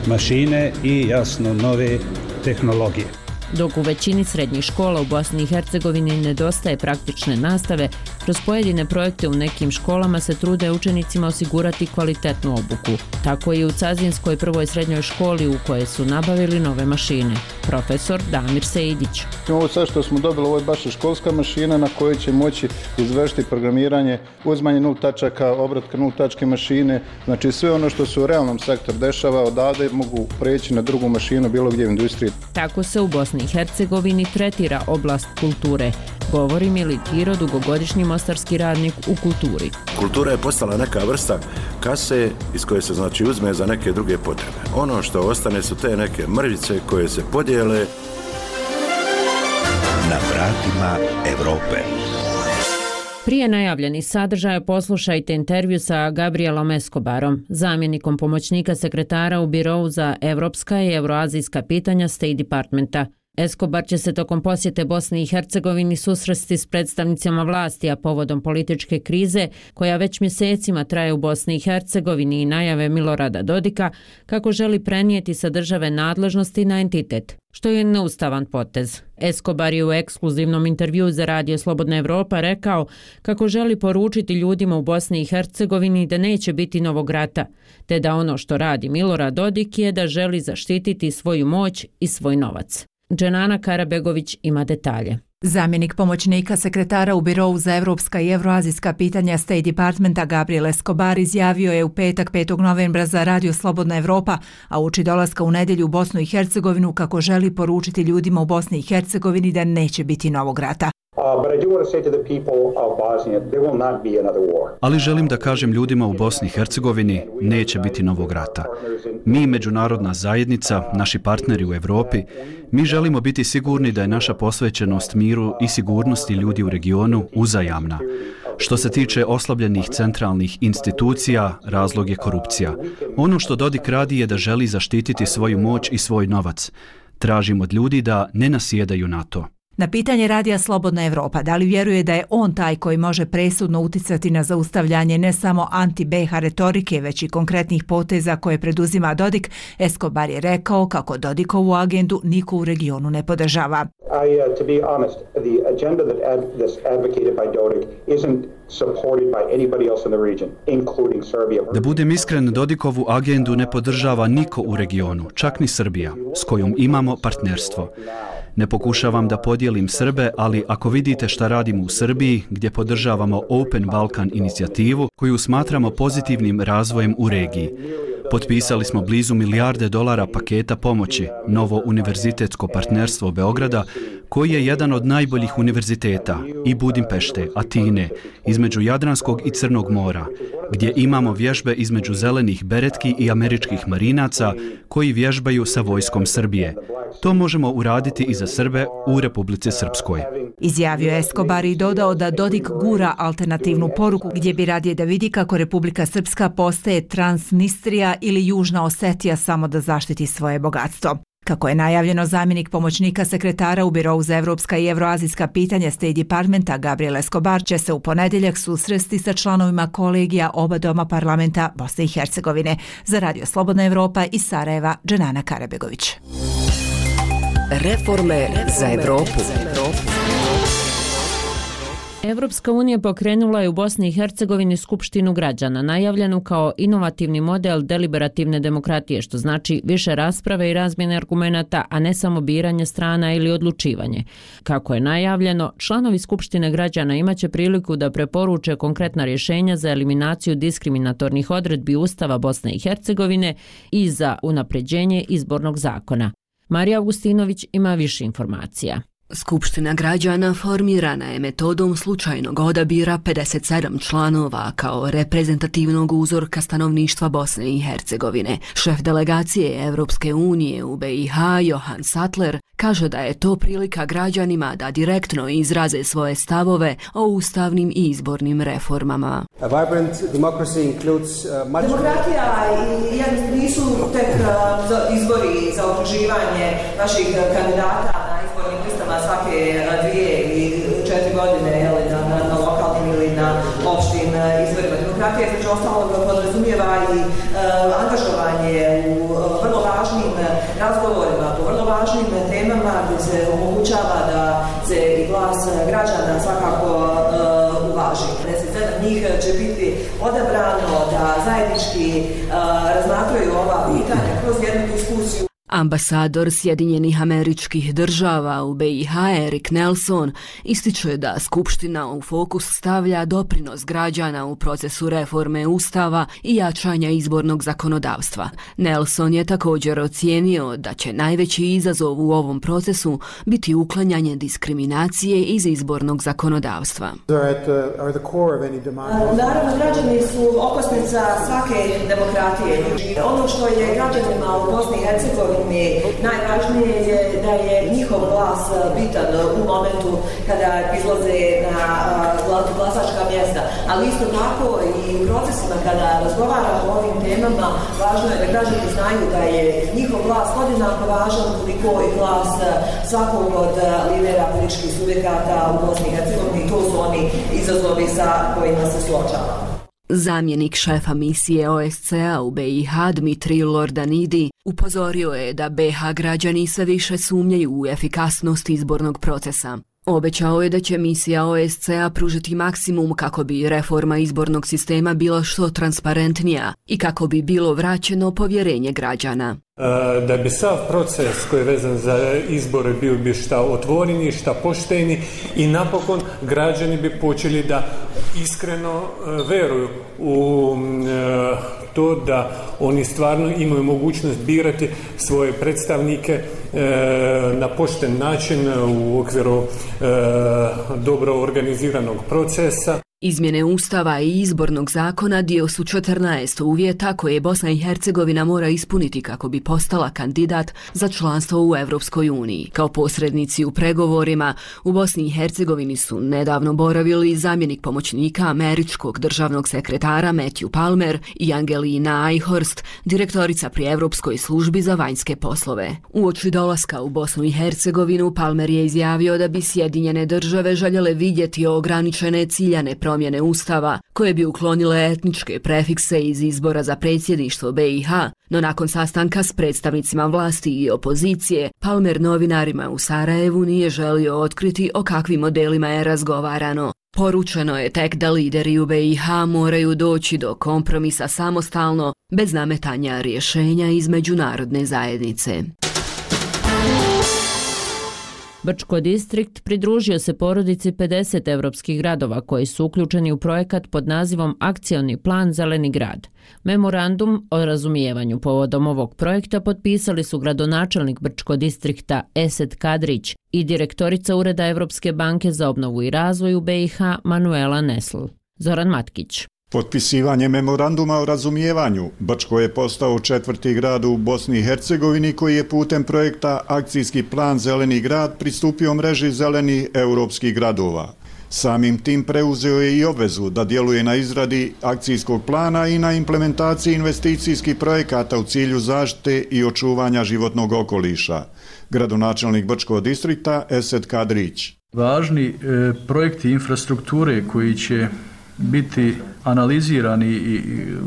mašine i jasno nove tehnologije. Dok u većini srednjih škola u Bosni i Hercegovini nedostaje praktične nastave, kroz pojedine projekte u nekim školama se trude učenicima osigurati kvalitetnu obuku. Tako i u Cazinskoj prvoj srednjoj školi u kojoj su nabavili nove mašine. Profesor Damir Sejdić. Ovo sve što smo dobili, ovo je baš školska mašina na kojoj će moći izvršiti programiranje, uzmanje 0 tačaka, obratka 0 tačke mašine, znači sve ono što se u realnom sektoru dešava odavde mogu preći na drugu mašinu bilo gdje u industriji. Tako se u Bosni i Hercegovini tretira oblast kulture, govori Militiro, dugogodišnji mostarski radnik u kulturi. Kultura je postala neka vrsta kase iz koje se znači uzme za neke druge potrebe. Ono što ostane su te neke mrvice koje se podijele. Na vratima Evrope. Prije najavljenih sadržaja poslušajte intervju sa Gabrielom Escobarom, zamjenikom pomoćnika sekretara u Birovu za evropska i euroazijska pitanja State Departmenta. Escobar će se tokom posjete Bosni i Hercegovini susresti s predstavnicima vlasti, a povodom političke krize koja već mjesecima traje u Bosni i Hercegovini i najave Milorada Dodika kako želi prenijeti sa države nadležnosti na entitet, što je neustavan potez. Escobar je u ekskluzivnom intervjuu za Radio Slobodna Evropa rekao kako želi poručiti ljudima u Bosni i Hercegovini da neće biti novog rata, te da ono što radi Milorad Dodik je da želi zaštititi svoju moć i svoj novac. Dženana Karabegović ima detalje. Zamjenik pomoćnika sekretara u Birovu za evropska i euroazijska pitanja State Departmenta Gabriel Escobar izjavio je u petak 5. novembra za Radio Slobodna Evropa, a uoči dolaska u nedjelju u Bosnu i Hercegovinu kako želi poručiti ljudima u Bosni i Hercegovini da neće biti novog rata. Ali želim da kažem ljudima u Bosni i Hercegovini, neće biti novog rata. Mi, međunarodna zajednica, naši partneri u Evropi, mi želimo biti sigurni da je naša posvećenost miru i sigurnosti ljudi u regionu uzajamna. Što se tiče oslabljenih centralnih institucija, razlog je korupcija. Ono što Dodik radi je da želi zaštititi svoju moć i svoj novac. Tražim od ljudi da ne nasjedaju na to. Na pitanje Radija Slobodna Evropa da li vjeruje da je on taj koji može presudno uticati na zaustavljanje ne samo anti-BiH retorike, već i konkretnih poteza koje preduzima Dodik, Escobar je rekao kako Dodikovu agendu niko u regionu ne podržava. To be honest, the agenda that's advocated by Dodik isn't supported by anybody else in the region, including Serbia. Da budem iskren, Dodikovu agendu ne podržava niko u regionu, čak ni Srbija, s kojom imamo partnerstvo. Ne pokušavam da podijelim Srbe, ali ako vidite šta radimo u Srbiji, gdje podržavamo Open Balkan inicijativu, koju smatramo pozitivnim razvojem u regiji. Potpisali smo blizu $1 milijarde paketa pomoći, novo univerzitetsko partnerstvo Beograda, koji je jedan od najboljih univerziteta, i Budimpešte, Atine, između Jadranskog i Crnog mora, gdje imamo vježbe između zelenih beretki i američkih marinaca koji vježbaju sa vojskom Srbije. To možemo uraditi i za Srbe u Republici Srpskoj. Izjavio Escobar i dodao da Dodik gura alternativnu poruku gdje bi radije da vidi kako Republika Srpska postaje Transnistrija ili Južna Osetija samo da zaštiti svoje bogatstvo. Kako je najavljeno, zamjenik pomoćnika sekretara u Birovu za evropska i euroazijska pitanja State Departmenta Gabriel Escobar će se u ponedjeljak susresti sa članovima kolegija oba doma parlamenta Bosne i Hercegovine. Za Radio Slobodna Evropa iz Sarajeva, Dženana Karabegović. Reforme za Evropu. Evropska unija pokrenula je u Bosni i Hercegovini Skupštinu građana, najavljenu kao inovativni model deliberativne demokratije, što znači više rasprave i razmjene argumenata, a ne samo biranje strana ili odlučivanje. Kako je najavljeno, članovi Skupštine građana imaće priliku da preporuče konkretna rješenja za eliminaciju diskriminatornih odredbi Ustava Bosne i Hercegovine i za unapređenje izbornog zakona. Marija Augustinović ima više informacija. Skupština građana formirana je metodom slučajnog odabira 57 članova kao reprezentativnog uzorka stanovništva Bosne i Hercegovine. Šef delegacije Evropske unije u BiH, Johan Sattler, kaže da je to prilika građanima da direktno izraze svoje stavove o ustavnim i izbornim reformama. Demokratija nisu tek izbori za okruživanje naših kandidata na izbornim listama svake 2 ili 4 godine na lokalnim ili na opštim izborima. Demokratija između ostalog podrazumijeva i angažovanje u vrlo važnim razgovorima, po vrlo važnim temama gdje se omogućava da se i glas građana svakako uvaži. 57 njih će biti odabrano da zajednički razmatraju ova pitanja kroz jednu diskusiju. Ambasador Sjedinjenih Američkih Država u BiH Erik Nelson ističe da Skupština u fokus stavlja doprinos građana u procesu reforme Ustava i jačanja izbornog zakonodavstva. Nelson je također ocijenio da će najveći izazov u ovom procesu biti uklanjanje diskriminacije iz izbornog zakonodavstva. Naravno, građani su okosnica svake demokratije. Ono što je građanima u Bosni i Hercegovini najvažnije je da je njihov glas bitan u momentu kada izlaze na glasačka mjesta, ali isto tako i u procesima kada razgovaramo o ovim temama, važno je da građani znaju da je njihov glas podjednako važan koliko i glas svakog od lidera političkih subjekata u Bosni i Hercegovini. To su oni izazovi sa kojima se suočavamo. Zamjenik šefa misije OSCE u BiH Dmitrij Lordanidi upozorio je da BiH građani sve više sumnjaju u efikasnost izbornog procesa. Obećao je da će misija OSCE pružiti maksimum kako bi reforma izbornog sistema bila što transparentnija i kako bi bilo vraćeno povjerenje građana. Da bi sav proces koji je vezan za izbore bio bi šta otvoreni, šta pošteni i napokon građani bi počeli da iskreno veruju u to da oni stvarno imaju mogućnost birati svoje predstavnike na pošten način u okviru dobro organiziranog procesa. Izmjene Ustava i izbornog zakona dio su 14 uvjeta koje Bosna i Hercegovina mora ispuniti kako bi postala kandidat za članstvo u Evropskoj uniji. Kao posrednici u pregovorima u Bosni i Hercegovini su nedavno boravili zamjenik pomoćnika američkog državnog sekretara Matthew Palmer i Angelina Eichhorst, direktorica pri Evropskoj službi za vanjske poslove. Uoči dolaska u Bosnu i Hercegovinu Palmer je izjavio da bi Sjedinjene države željele vidjeti ograničene ciljane promjene Ustava koje bi uklonile etničke prefikse iz izbora za predsjedništvo BiH, no nakon sastanka s predstavnicima vlasti i opozicije, Palmer novinarima u Sarajevu nije želio otkriti o kakvim modelima je razgovarano. Poručeno je tek da lideri u BiH moraju doći do kompromisa samostalno, bez nametanja rješenja iz međunarodne zajednice. Brčko distrikt pridružio se porodici 50 evropskih gradova koji su uključeni u projekat pod nazivom Akcioni plan Zeleni grad. Memorandum o razumijevanju povodom ovog projekta potpisali su gradonačelnik Brčko distrikta Esed Kadrić i direktorica Ureda Evropske banke za obnovu i razvoj u BiH Manuela Nesl. Zoran Matkić. Potpisivanje memoranduma o razumijevanju, Brčko je postao 4. grad u Bosni i Hercegovini koji je putem projekta Akcijski plan Zeleni grad pristupio mreži zelenih europskih gradova. Samim tim preuzeo je i obvezu da djeluje na izradi akcijskog plana i na implementaciji investicijskih projekata u cilju zaštite i očuvanja životnog okoliša. Gradonačelnik Brčkog distrikta Esed Kadrić. Važni projekti infrastrukture koji će biti analizirani i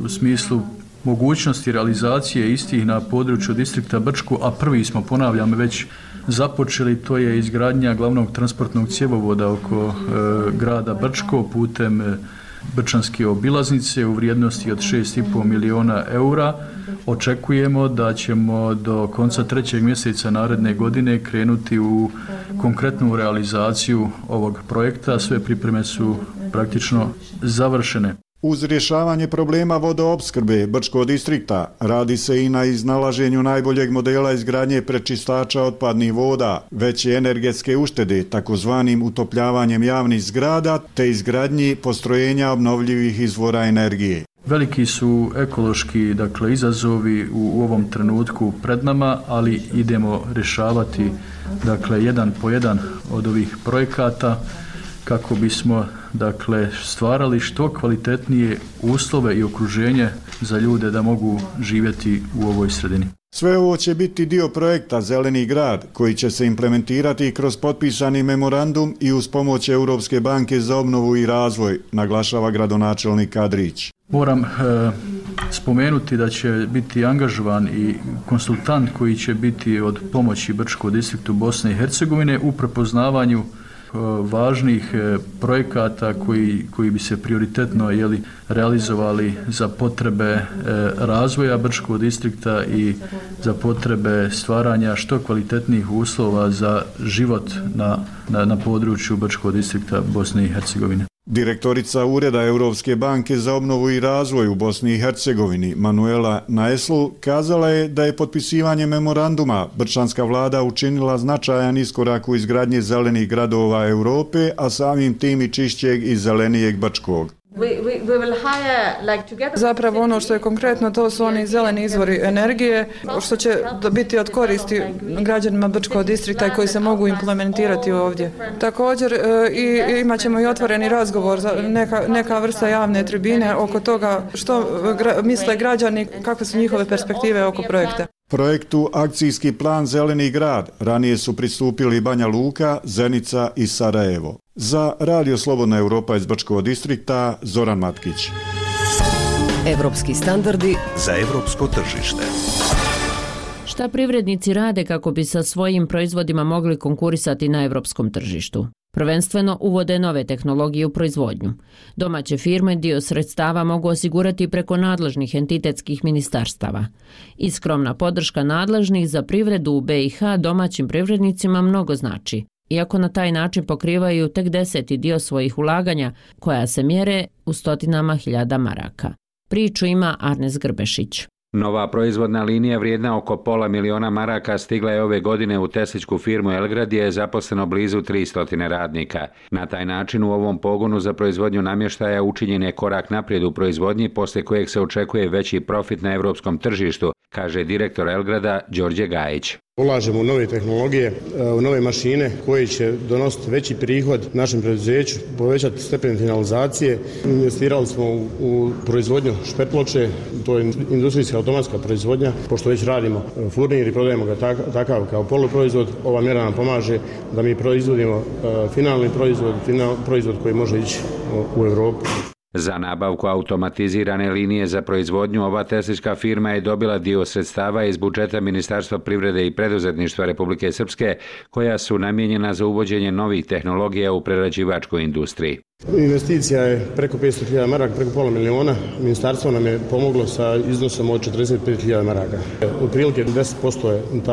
u smislu mogućnosti realizacije istih na području distrikta Brčko, a prvi smo, ponavljam, već započeli, to je izgradnja glavnog transportnog cjevovoda oko grada Brčko putem Brčanske obilaznice u vrijednosti od 6,5 miliona eura. Očekujemo da ćemo do konca 3. mjeseca naredne godine krenuti u konkretnu realizaciju ovog projekta. Sve pripreme su praktično završene. Uz rješavanje problema vodoopskrbe Brčkog distrikta radi se i na iznalaženju najboljeg modela izgradnje prečistača otpadnih voda, veće energetske uštede, takozvanim utopljavanjem javnih zgrada, te izgradnji postrojenja obnovljivih izvora energije. Veliki su ekološki izazovi u ovom trenutku pred nama, ali idemo rješavati jedan po jedan od ovih projekata kako bismo stvarali što kvalitetnije uslove i okruženje za ljude da mogu živjeti u ovoj sredini. Sve ovo će biti dio projekta Zeleni grad, koji će se implementirati kroz potpisani memorandum i uz pomoć Europske banke za obnovu i razvoj, naglašava gradonačelnik Adrić. Moram spomenuti da će biti angažovan i konsultant koji će biti od pomoći Brčkom distriktu Bosne i Hercegovine u prepoznavanju važnih projekata koji bi se prioritetno realizovali za potrebe razvoja Brčkog distrikta i za potrebe stvaranja što kvalitetnijih uslova za život na području Brčkog distrikta Bosne i Hercegovine. Direktorica Ureda Europske banke za obnovu i razvoj u Bosni i Hercegovini, Manuela Naeslu, kazala je da je potpisivanje memoranduma brčanska vlada učinila značajan iskorak u izgradnji zelenih gradova Europe, a samim tim i čišćeg i zelenijeg Brčkog. Zapravo ono što je konkretno, to su oni zeleni izvori energije, što će biti od koristi građanima Brčkog distrikta i koji se mogu implementirati ovdje. Također imat ćemo i otvoreni razgovor za neka vrsta javne tribine oko toga što misle građani, kakve su njihove perspektive oko projekta. Projektu Akcijski plan Zeleni grad ranije su pristupili Banja Luka, Zenica i Sarajevo. Za Radio Slobodna Europa iz Brčkog distrikta, Zoran Matkić. Evropski standardi za evropsko tržište. Šta privrednici rade kako bi sa svojim proizvodima mogli konkurisati na evropskom tržištu? Prvenstveno uvode nove tehnologije u proizvodnju. Domaće firme dio sredstava mogu osigurati preko nadležnih entitetskih ministarstava. I skromna podrška nadležnih za privredu u BiH domaćim privrednicima mnogo znači, iako na taj način pokrivaju tek 10. dio svojih ulaganja, koja se mjere u stotinama hiljada maraka. Priču ima Arnes Grbešić. Nova proizvodna linija vrijedna oko $500.000 maraka stigla je ove godine u tesličku firmu Elgrad gdje je zaposleno blizu 300 radnika. Na taj način u ovom pogonu za proizvodnju namještaja učinjen je korak naprijed u proizvodnji poslije kojeg se očekuje veći profit na europskom tržištu, kaže direktor Elgrada Đorđe Gajić. Ulažemo u nove tehnologije, u nove mašine koje će donositi veći prihod našem preduzeću, povećati stepen finalizacije. Investirali smo u proizvodnju špetloče, to je industrijska automatska proizvodnja. Pošto već radimo furnir i prodajemo ga takav kao poluproizvod, ova mjera nam pomaže da mi proizvodimo finalni proizvod koji može ići u Europu. Za nabavku automatizirane linije za proizvodnju ova teslička firma je dobila dio sredstava iz budžeta Ministarstva privrede i preduzetništva Republike Srpske, koja su namijenjena za uvođenje novih tehnologija u prerađivačkoj industriji. Investicija je preko 500.000 maraka, preko $500.000. Ministarstvo nam je pomoglo sa iznosom od 45.000 maraka. Otprilike 10%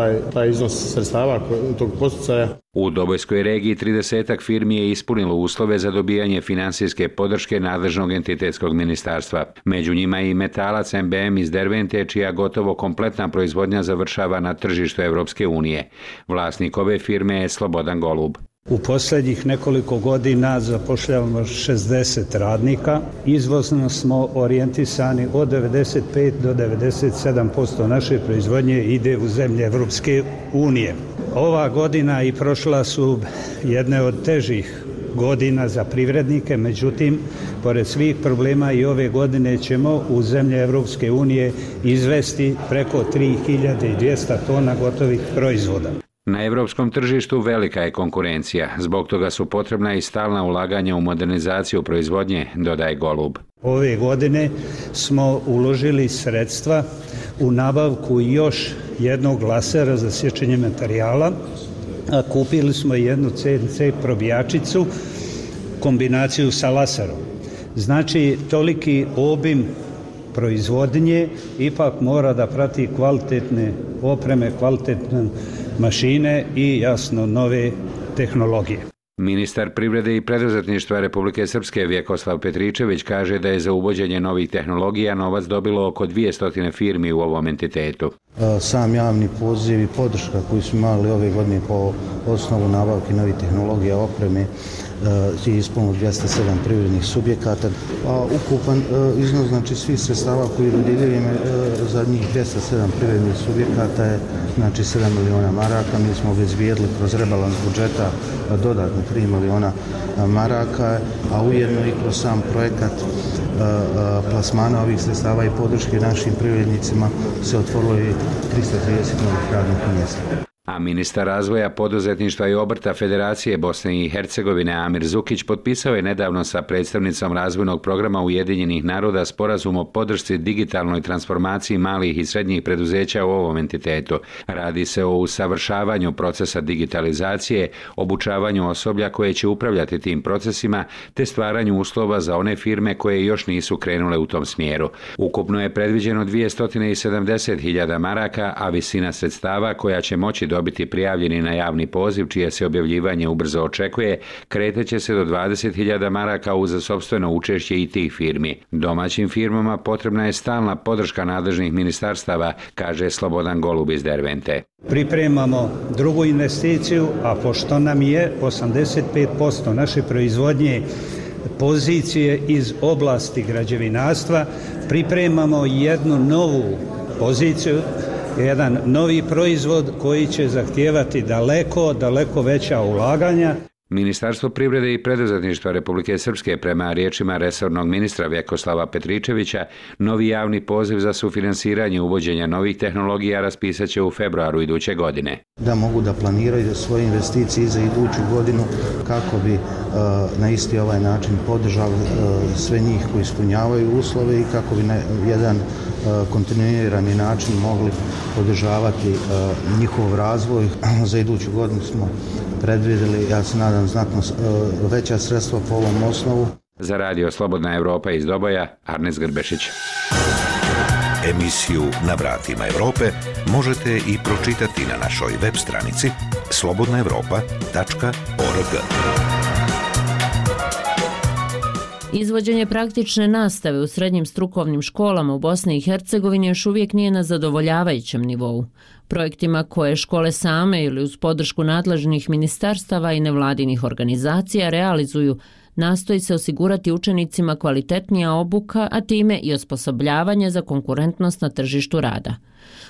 je taj iznos sredstava tog posticaja. U Dobojskoj regiji 30 firmi je ispunilo uslove za dobijanje financijske podrške nadležnog entitetskog ministarstva. Među njima i metalac MBM iz Dervente, čija gotovo kompletna proizvodnja završava na tržištu Evropske unije. Vlasnik ove firme je Slobodan Golub. U posljednjih nekoliko godina zapošljavamo 60 radnika. Izvozno smo orijentisani od 95 do 97% naše proizvodnje ide u zemlje Evropske unije. Ova godina i prošla su jedne od težih godina za privrednike, međutim, pored svih problema i ove godine ćemo u zemlje Evropske unije izvesti preko 3200 tona gotovih proizvoda. Na evropskom tržištu velika je konkurencija, zbog toga su potrebna i stalna ulaganja u modernizaciju proizvodnje, dodaje Golub. Ove godine smo uložili sredstva u nabavku još jednog lasera za sječenje materijala kupili smo jednu CNC probjačicu, kombinaciju sa laserom. Znači, toliki obim proizvodnje ipak mora da prati kvalitetne opreme, kvalitetne mašine i jasno nove tehnologije. Ministar privrede i preduzetništva Republike Srpske Vjekoslav Petričević kaže da je za uvođenje novih tehnologija novac dobilo oko 200 firmi u ovom entitetu. Sam javni poziv i podrška koju smo imali ove godine po osnovu nabavke novih tehnologija opreme je ispunilo 207 privrednih subjekata, a ukupan iznos znači svih sredstava koji dodjeljujemo za njih 207 privrednih subjekata je znači 7 miliona maraka. Mi smo obezbijedili kroz rebalans budžeta dodatno 3 miliona maraka, a ujedno i kroz sam projekat plasmana ovih sredstava i podrške našim privrednicima se otvorilo i 330 novih radnih mjesta. A ministar razvoja, poduzetništva i obrta Federacije Bosne i Hercegovine Amir Zukić potpisao je nedavno sa predstavnicom razvojnog programa Ujedinjenih naroda sporazum o podršci digitalnoj transformaciji malih i srednjih preduzeća u ovom entitetu. Radi se o usavršavanju procesa digitalizacije, obučavanju osoblja koje će upravljati tim procesima, te stvaranju uslova za one firme koje još nisu krenule u tom smjeru. Ukupno je predviđeno 270.000 maraka, a visina sredstava koja će moći dobiti prijavljeni na javni poziv, čije se objavljivanje ubrzo očekuje, kreteće se do 20.000 maraka uz sopstveno učešće i tih firmi. Domaćim firmama potrebna je stalna podrška nadležnih ministarstava, kaže Slobodan Golub iz Dervente. Pripremamo drugu investiciju, a pošto nam je 85% naše proizvodnje pozicije iz oblasti građevinarstva, pripremamo jednu novu poziciju, jedan novi proizvod koji će zahtijevati daleko veća ulaganja. Ministarstvo privrede i preduzetništva Republike Srpske prema riječima resornog ministra Vjekoslava Petričevića novi javni poziv za sufinansiranje uvođenja novih tehnologija raspisat će u februaru iduće godine. Da mogu da planiraju svoje investicije za iduću godinu kako bi na isti ovaj način podržali sve njih koji ispunjavaju uslove i kako bi na jedan kontinuirani način mogli podržavati njihov razvoj. Za iduću godinu smo predvidjeli, ja se nadam, znatno veća sredstva po ovom osnovu. Za radio Slobodna Evropa iz Doboja, Arnes Grbešić. Emisiju Na vratima Evrope možete i pročitati na našoj web stranici slobodnaevropa.org. Izvođenje praktične nastave u srednjim strukovnim školama u Bosni i Hercegovini još uvijek nije na zadovoljavajućem nivou. Projektima koje škole same ili uz podršku nadležnih ministarstava i nevladinih organizacija realizuju, nastoji se osigurati učenicima kvalitetnija obuka, a time i osposobljavanje za konkurentnost na tržištu rada.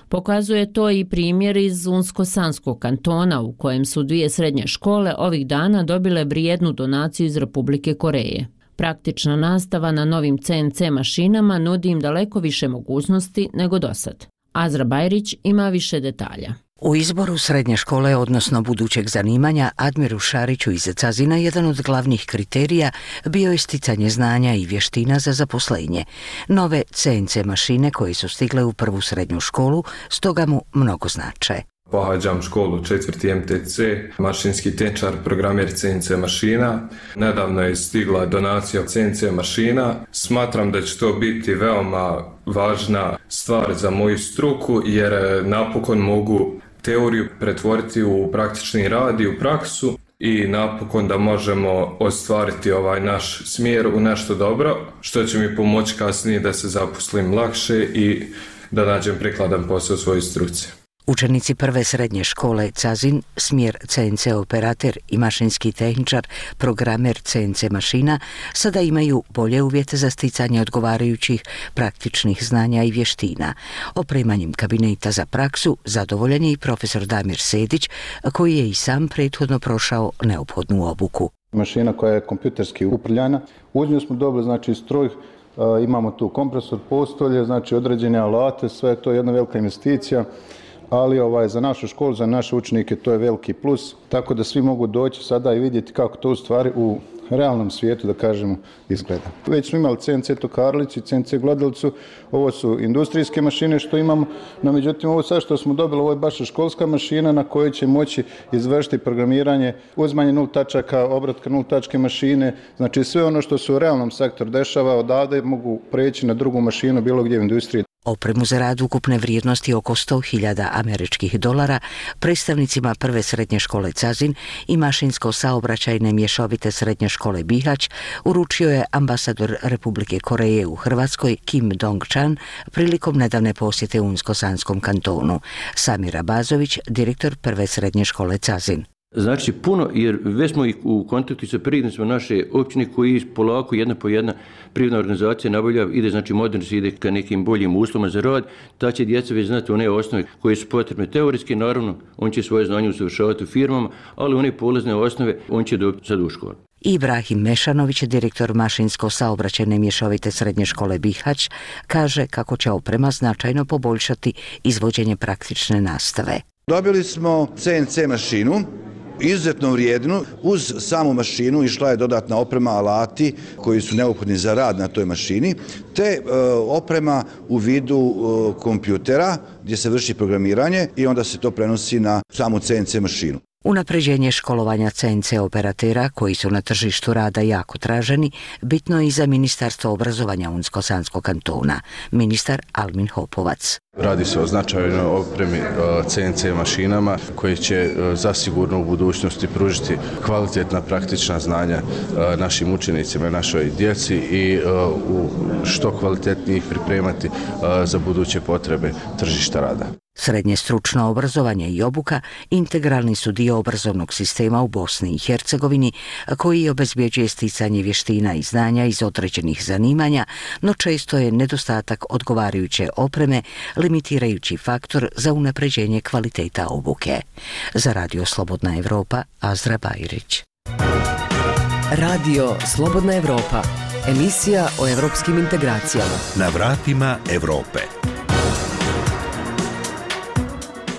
Pokazuje to i primjer iz Unsko-Sanskog kantona u kojem su 2 srednje škole ovih dana dobile vrijednu donaciju iz Republike Koreje. Praktična nastava na novim CNC mašinama nudi im daleko više mogućnosti nego dosad. Azra Bajrić ima više detalja. U izboru srednje škole, odnosno budućeg zanimanja, Admiru Šariću iz Cazina jedan od glavnih kriterija bio je sticanje znanja i vještina za zaposlenje. Nove CNC mašine koje su stigle u prvu srednju školu, stoga mu mnogo znače. Pohađam školu 4. MTC, mašinski tehničar, programer CNC mašina. Nedavno je stigla donacija CNC mašina. Smatram da će to biti veoma važna stvar za moju struku jer napokon mogu teoriju pretvoriti u praktični rad i u praksu i napokon da možemo ostvariti ovaj naš smjer u nešto dobro, što će mi pomoći kasnije da se zaposlim lakše i da nađem prikladan posao u svojoj struci. Učenici prve srednje škole Cazin, smjer CNC operater i mašinski tehničar, programer CNC mašina, sada imaju bolje uvjete za sticanje odgovarajućih praktičnih znanja i vještina. Opremanjem kabineta za praksu zadovoljan je i profesor Damir Sedić, koji je i sam prethodno prošao neophodnu obuku. Mašina koja je kompjuterski upravljana, uz nju smo dobili znači stroj, imamo tu kompresor, postolje, znači određene alate, sve je to jedna velika investicija. Ali za našu školu, za naše učenike to je veliki plus, tako da svi mogu doći sada i vidjeti kako to u stvari u realnom svijetu, da kažemo, izgleda. Već smo imali CNC tokarlicu i CNC gladalicu, ovo su industrijske mašine što imamo, no međutim ovo sad što smo dobili, ovo je baš školska mašina na kojoj će moći izvršiti programiranje, uzmanje 0 tačaka, obratka 0 tačke mašine, znači sve ono što se u realnom sektoru dešava odavde mogu preći na drugu mašinu bilo gdje u industriji. Opremu za rad ukupne vrijednosti oko $100.000 američkih dolara predstavnicima prve srednje škole Cazin i mašinsko-saobraćajne mješovite srednje škole Bihać uručio je ambasador Republike Koreje u Hrvatskoj Kim Dong-chan prilikom nedavne posjete Unsko-Sanskom kantonu. Samir Abazović, direktor prve srednje škole Cazin. Znači puno, jer već smo u kontaktu sa prirodnicima naše općine koji polako jedna po jedna privredna organizacija nabavlja, ide znači moderno se ide ka nekim boljim uslovima za rad, ta će djeca već znati one osnove koje su potrebne teoretski, naravno on će svoje znanje usavršavati u firmama, ali one polazne osnove on će dobiti sad u školu. Ibrahim Mešanović, direktor mašinsko-saobraćajne mješovite srednje škole Bihać, kaže kako će oprema značajno poboljšati izvođenje praktične nastave. Dobili smo CNC mašinu, izuzetno vrijednu. Uz samu mašinu išla je dodatna oprema, alati koji su neophodni za rad na toj mašini, te oprema u vidu kompjutera gdje se vrši programiranje i onda se to prenosi na samu CNC mašinu. Unapređenje školovanja CNC operatera, koji su na tržištu rada jako traženi, bitno je i za Ministarstvo obrazovanja Unsko-Sanskog kantona, ministar Almin Hopovac. Radi se o značajnoj opremi CNC mašinama koje će zasigurno u budućnosti pružiti kvalitetna praktična znanja našim učenicima i našoj djeci i što kvalitetnije ih pripremati za buduće potrebe tržišta rada. Srednje stručno obrazovanje i obuka integralni su dio obrazovnog sistema u Bosni i Hercegovini koji obezbjeđuje sticanje vještina i znanja iz određenih zanimanja, no često je nedostatak odgovarajuće opreme limitirajući faktor za unapređenje kvaliteta obuke. Za Radio Slobodna Evropa, Azra Bajrić. Radio Slobodna Evropa, emisija o evropskim integracijama. Na vratima Evrope.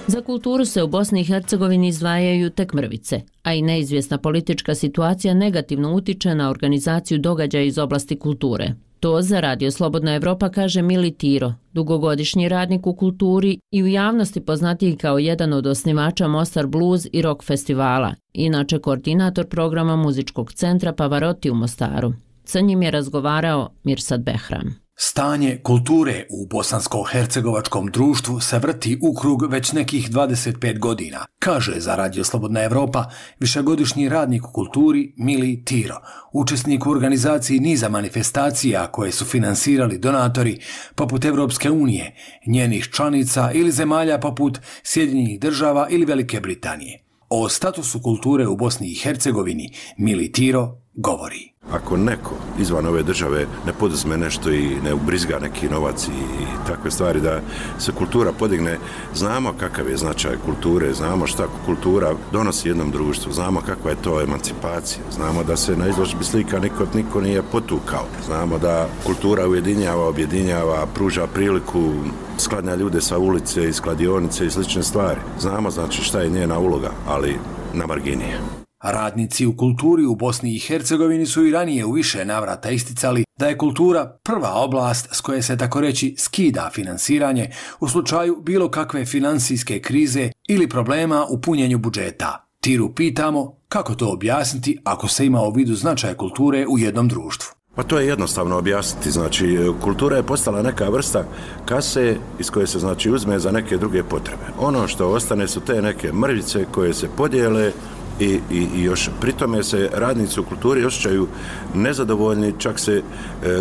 Za kulturu se u Bosni i Hercegovini izdvajaju tek mrvice, a i neizvjesna politička situacija negativno utiče na organizaciju događaja iz oblasti kulture. To za Radio Slobodna Evropa kaže Mili Tiro, dugogodišnji radnik u kulturi i u javnosti poznatiji kao jedan od osnivača Mostar Blues i Rock festivala, inače koordinator programa muzičkog centra Pavarotti u Mostaru. Sa njim je razgovarao Mirsad Behram. Stanje kulture u bosansko-hercegovačkom društvu se vrti u krug već nekih 25 godina, kaže za Radio Slobodna Evropa višegodišnji radnik u kulturi Mili Tiro, učesnik u organizaciji niza manifestacija koje su finansirali donatori poput Evropske unije, njenih članica ili zemalja poput Sjedinjenih Država ili Velike Britanije. O statusu kulture u Bosni i Hercegovini Mili Tiro govori. Ako neko izvan ove države ne poduzme nešto i ne ubrizga neki novac i takve stvari da se kultura podigne, znamo kakav je značaj kulture, znamo šta kultura donosi jednom društvu, znamo kakva je to emancipacija, znamo da se na izložbi slika niko nije potukao, znamo da kultura ujedinjava, objedinjava, pruža priliku, sklanja ljude sa ulice, iz kladionice i slične stvari. Znamo znači šta je njena uloga, ali na margini. Radnici u kulturi u Bosni i Hercegovini su i ranije u više navrata isticali da je kultura prva oblast s koje se tako reći skida finansiranje u slučaju bilo kakve financijske krize ili problema u punjenju budžeta. Tiru pitamo kako to objasniti ako se ima u vidu značaj kulture u jednom društvu. Pa to je jednostavno objasniti, znači kultura je postala neka vrsta kase iz koje se znači uzme za neke druge potrebe. Ono što ostane su te neke mrvice koje se podijele i još pri tome se radnici u kulturi osjećaju nezadovoljni, čak se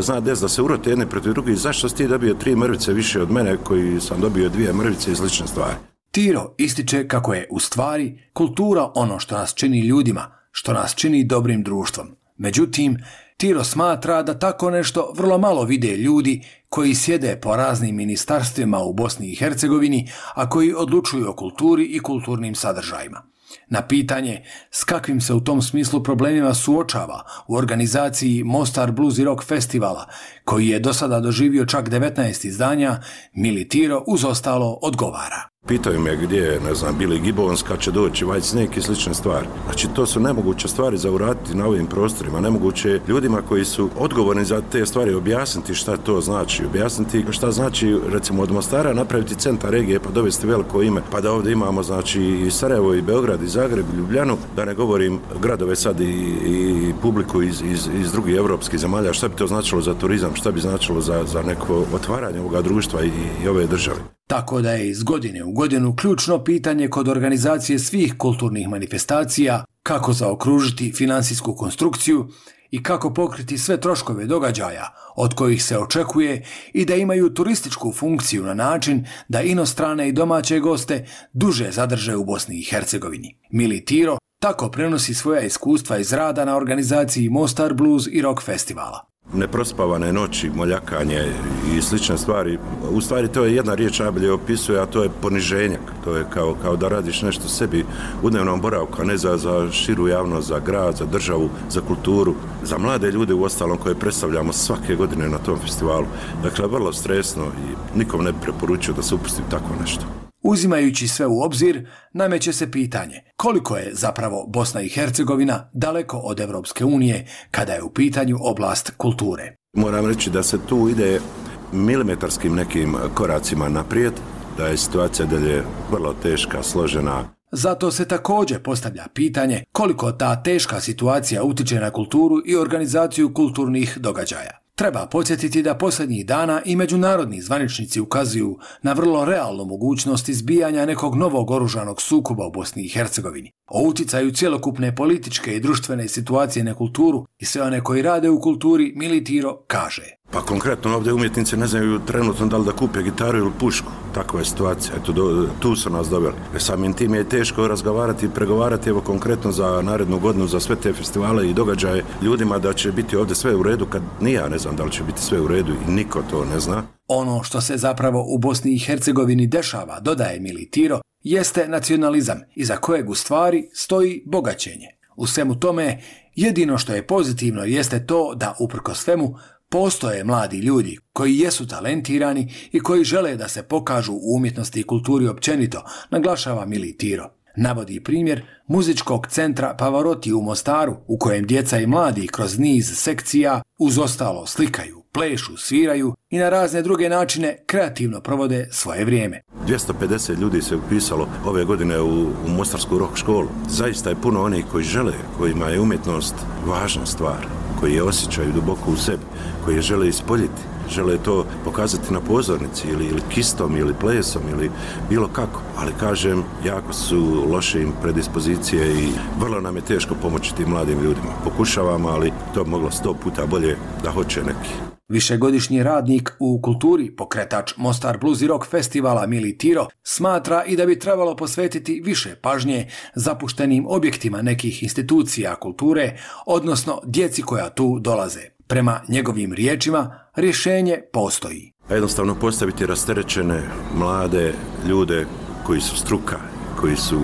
zna des da se urote jedne protiv drugih, zašto si ti dobio 3 mrvice više od mene koji sam dobio 2 mrvice i slične stvari. Tiro ističe kako je u stvari kultura ono što nas čini ljudima, što nas čini dobrim društvom. Međutim, Tiro smatra da tako nešto vrlo malo vide ljudi koji sjede po raznim ministarstvima u Bosni i Hercegovini, a koji odlučuju o kulturi i kulturnim sadržajima. Na pitanje s kakvim se u tom smislu problemima suočava u organizaciji Mostar Blues i Rock festivala, koji je do sada doživio čak 19 izdanja, Mili Tiro uz ostalo odgovara. Pitaju me gdje je, ne znam, Billy Gibbons, kad će doći White Snake i slične stvari. Znači, to su nemoguće stvari za uraditi na ovim prostorima. Nemoguće ljudima koji su odgovorni za te stvari objasniti šta to znači. Objasniti šta znači, recimo, od Mostara napraviti centar regije pa dovesti veliko ime. Pa da ovdje imamo, znači, i Sarajevo, i Beograd, i Zagreb, i Ljubljanu. Da ne govorim gradove sad i publiku iz drugih evropskih zemalja. Šta bi to značilo za turizam? Šta bi značilo za neko otvaranje ovoga društva i ove države? Tako da je iz godine u godinu ključno pitanje kod organizacije svih kulturnih manifestacija kako zaokružiti finansijsku konstrukciju i kako pokriti sve troškove događaja od kojih se očekuje i da imaju turističku funkciju na način da inostrane i domaće goste duže zadrže u Bosni i Hercegovini. Mili Tiro tako prenosi svoja iskustva iz rada na organizaciji Mostar Blues i Rock festivala. Neprospavane noći, moljakanje i slične stvari. U stvari to je jedna riječ najbolje opisuje, a to je poniženjak. To je kao da radiš nešto sebi u dnevnom boravku, a ne za širu javnost, za grad, za državu, za kulturu, za mlade ljude u ostalom koje predstavljamo svake godine na tom festivalu. Dakle, vrlo stresno i nikom ne preporučio da se upusti tako nešto. Uzimajući sve u obzir, nameće se pitanje koliko je zapravo Bosna i Hercegovina daleko od Evropske unije kada je u pitanju oblast kulture. Moram reći da se tu ide milimetarskim nekim koracima naprijed, da je situacija dalje vrlo teška, složena. Zato se također postavlja pitanje koliko ta teška situacija utiče na kulturu i organizaciju kulturnih događaja. Treba podsjetiti da posljednjih dana i međunarodni zvaničnici ukazuju na vrlo realnu mogućnost izbijanja nekog novog oružanog sukoba u Bosni i Hercegovini. O uticaju cjelokupne političke i društvene situacije na kulturu i sve one koji rade u kulturi Mili Tiro kaže. Pa konkretno ovdje umjetnici ne znaju trenutno da li da kupe gitaru ili pušku. Takva je situacija. Eto, tu su nas doveli. Samim tim je teško razgovarati i pregovarati evo konkretno za narednu godinu, za sve te festivale i događaje ljudima da će biti ovdje sve u redu, kad ni ja ne znam da li će biti sve u redu i niko to ne zna. Ono što se zapravo u Bosni i Hercegovini dešava, dodaje Mili Tiro, jeste nacionalizam iza kojeg u stvari stoji bogaćenje. U svemu tome, jedino što je pozitivno jeste to da uprkos svemu postoje mladi ljudi koji jesu talentirani i koji žele da se pokažu u umjetnosti i kulturi općenito, naglašava Mili Tiro. Navodi primjer muzičkog centra Pavarotti u Mostaru, u kojem djeca i mladi kroz niz sekcija uz ostalo slikaju, plešu, sviraju i na razne druge načine kreativno provode svoje vrijeme. 250 ljudi se upisalo ove godine u Mostarsku rock školu. Zaista je puno onih koji žele, kojima je umjetnost važna stvar, koji je osjećaju duboko u sebi, koji je žele ispoljiti, žele to pokazati na pozornici ili kistom ili plesom ili bilo kako. Ali kažem, jako su loše im predispozicije i vrlo nam je teško pomoći tim mladim ljudima. Pokušavamo, ali to bi moglo 100 puta bolje da hoće neki. Višegodišnji radnik u kulturi, pokretač Mostar Blues i Rock festivala Mili Tiro, smatra i da bi trebalo posvetiti više pažnje zapuštenim objektima nekih institucija kulture, odnosno djeci koja tu dolaze. Prema njegovim riječima, rješenje postoji. Jednostavno postaviti rasterećene mlade ljude koji su struka, koji su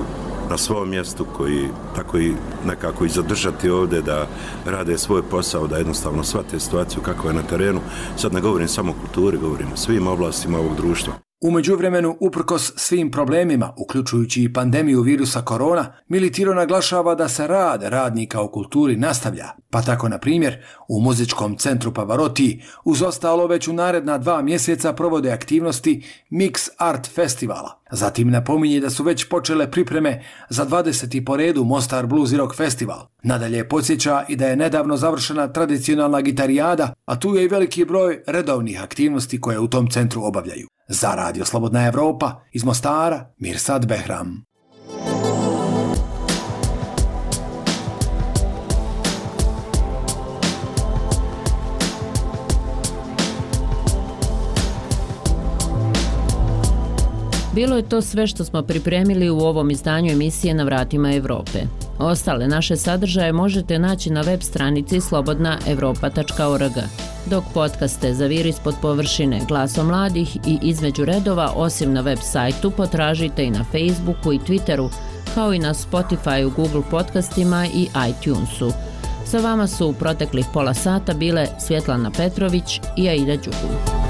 na svom mjestu, koji tako i nekako i zadržati ovdje da rade svoj posao, da jednostavno shvate situaciju kako je na terenu. Sad ne govorim samo o kulturi, govorim o svim oblastima ovog društva. U međuvremenu, uprkos svim problemima, uključujući i pandemiju virusa korona, Mili Tiro naglašava da se rad radnika u kulturi nastavlja, pa tako, na primjer, u muzičkom centru Pavarotti uz ostalo već u naredna 2 mjeseca provode aktivnosti Mix Art Festivala. Zatim napominje da su već počele pripreme za 20. po redu Mostar Blues i Rock Festival. Nadalje podsjeća i da je nedavno završena tradicionalna gitarijada, a tu je i veliki broj redovnih aktivnosti koje u tom centru obavljaju. Za Radio Slobodna Evropa, iz Mostara, Mirsad Behram. Bilo je to sve što smo pripremili u ovom izdanju emisije Na vratima Evrope. Ostale naše sadržaje možete naći na web stranici slobodnaevropa.org, dok podcaste Zaviri ispod površine, Glasom mladih i Između redova, osim na web sajtu, potražite i na Facebooku i Twitteru, kao i na Spotifyu, Google podcastima i iTunesu. Sa vama su u proteklih pola sata bile Svjetlana Petrović i Aida Đugu.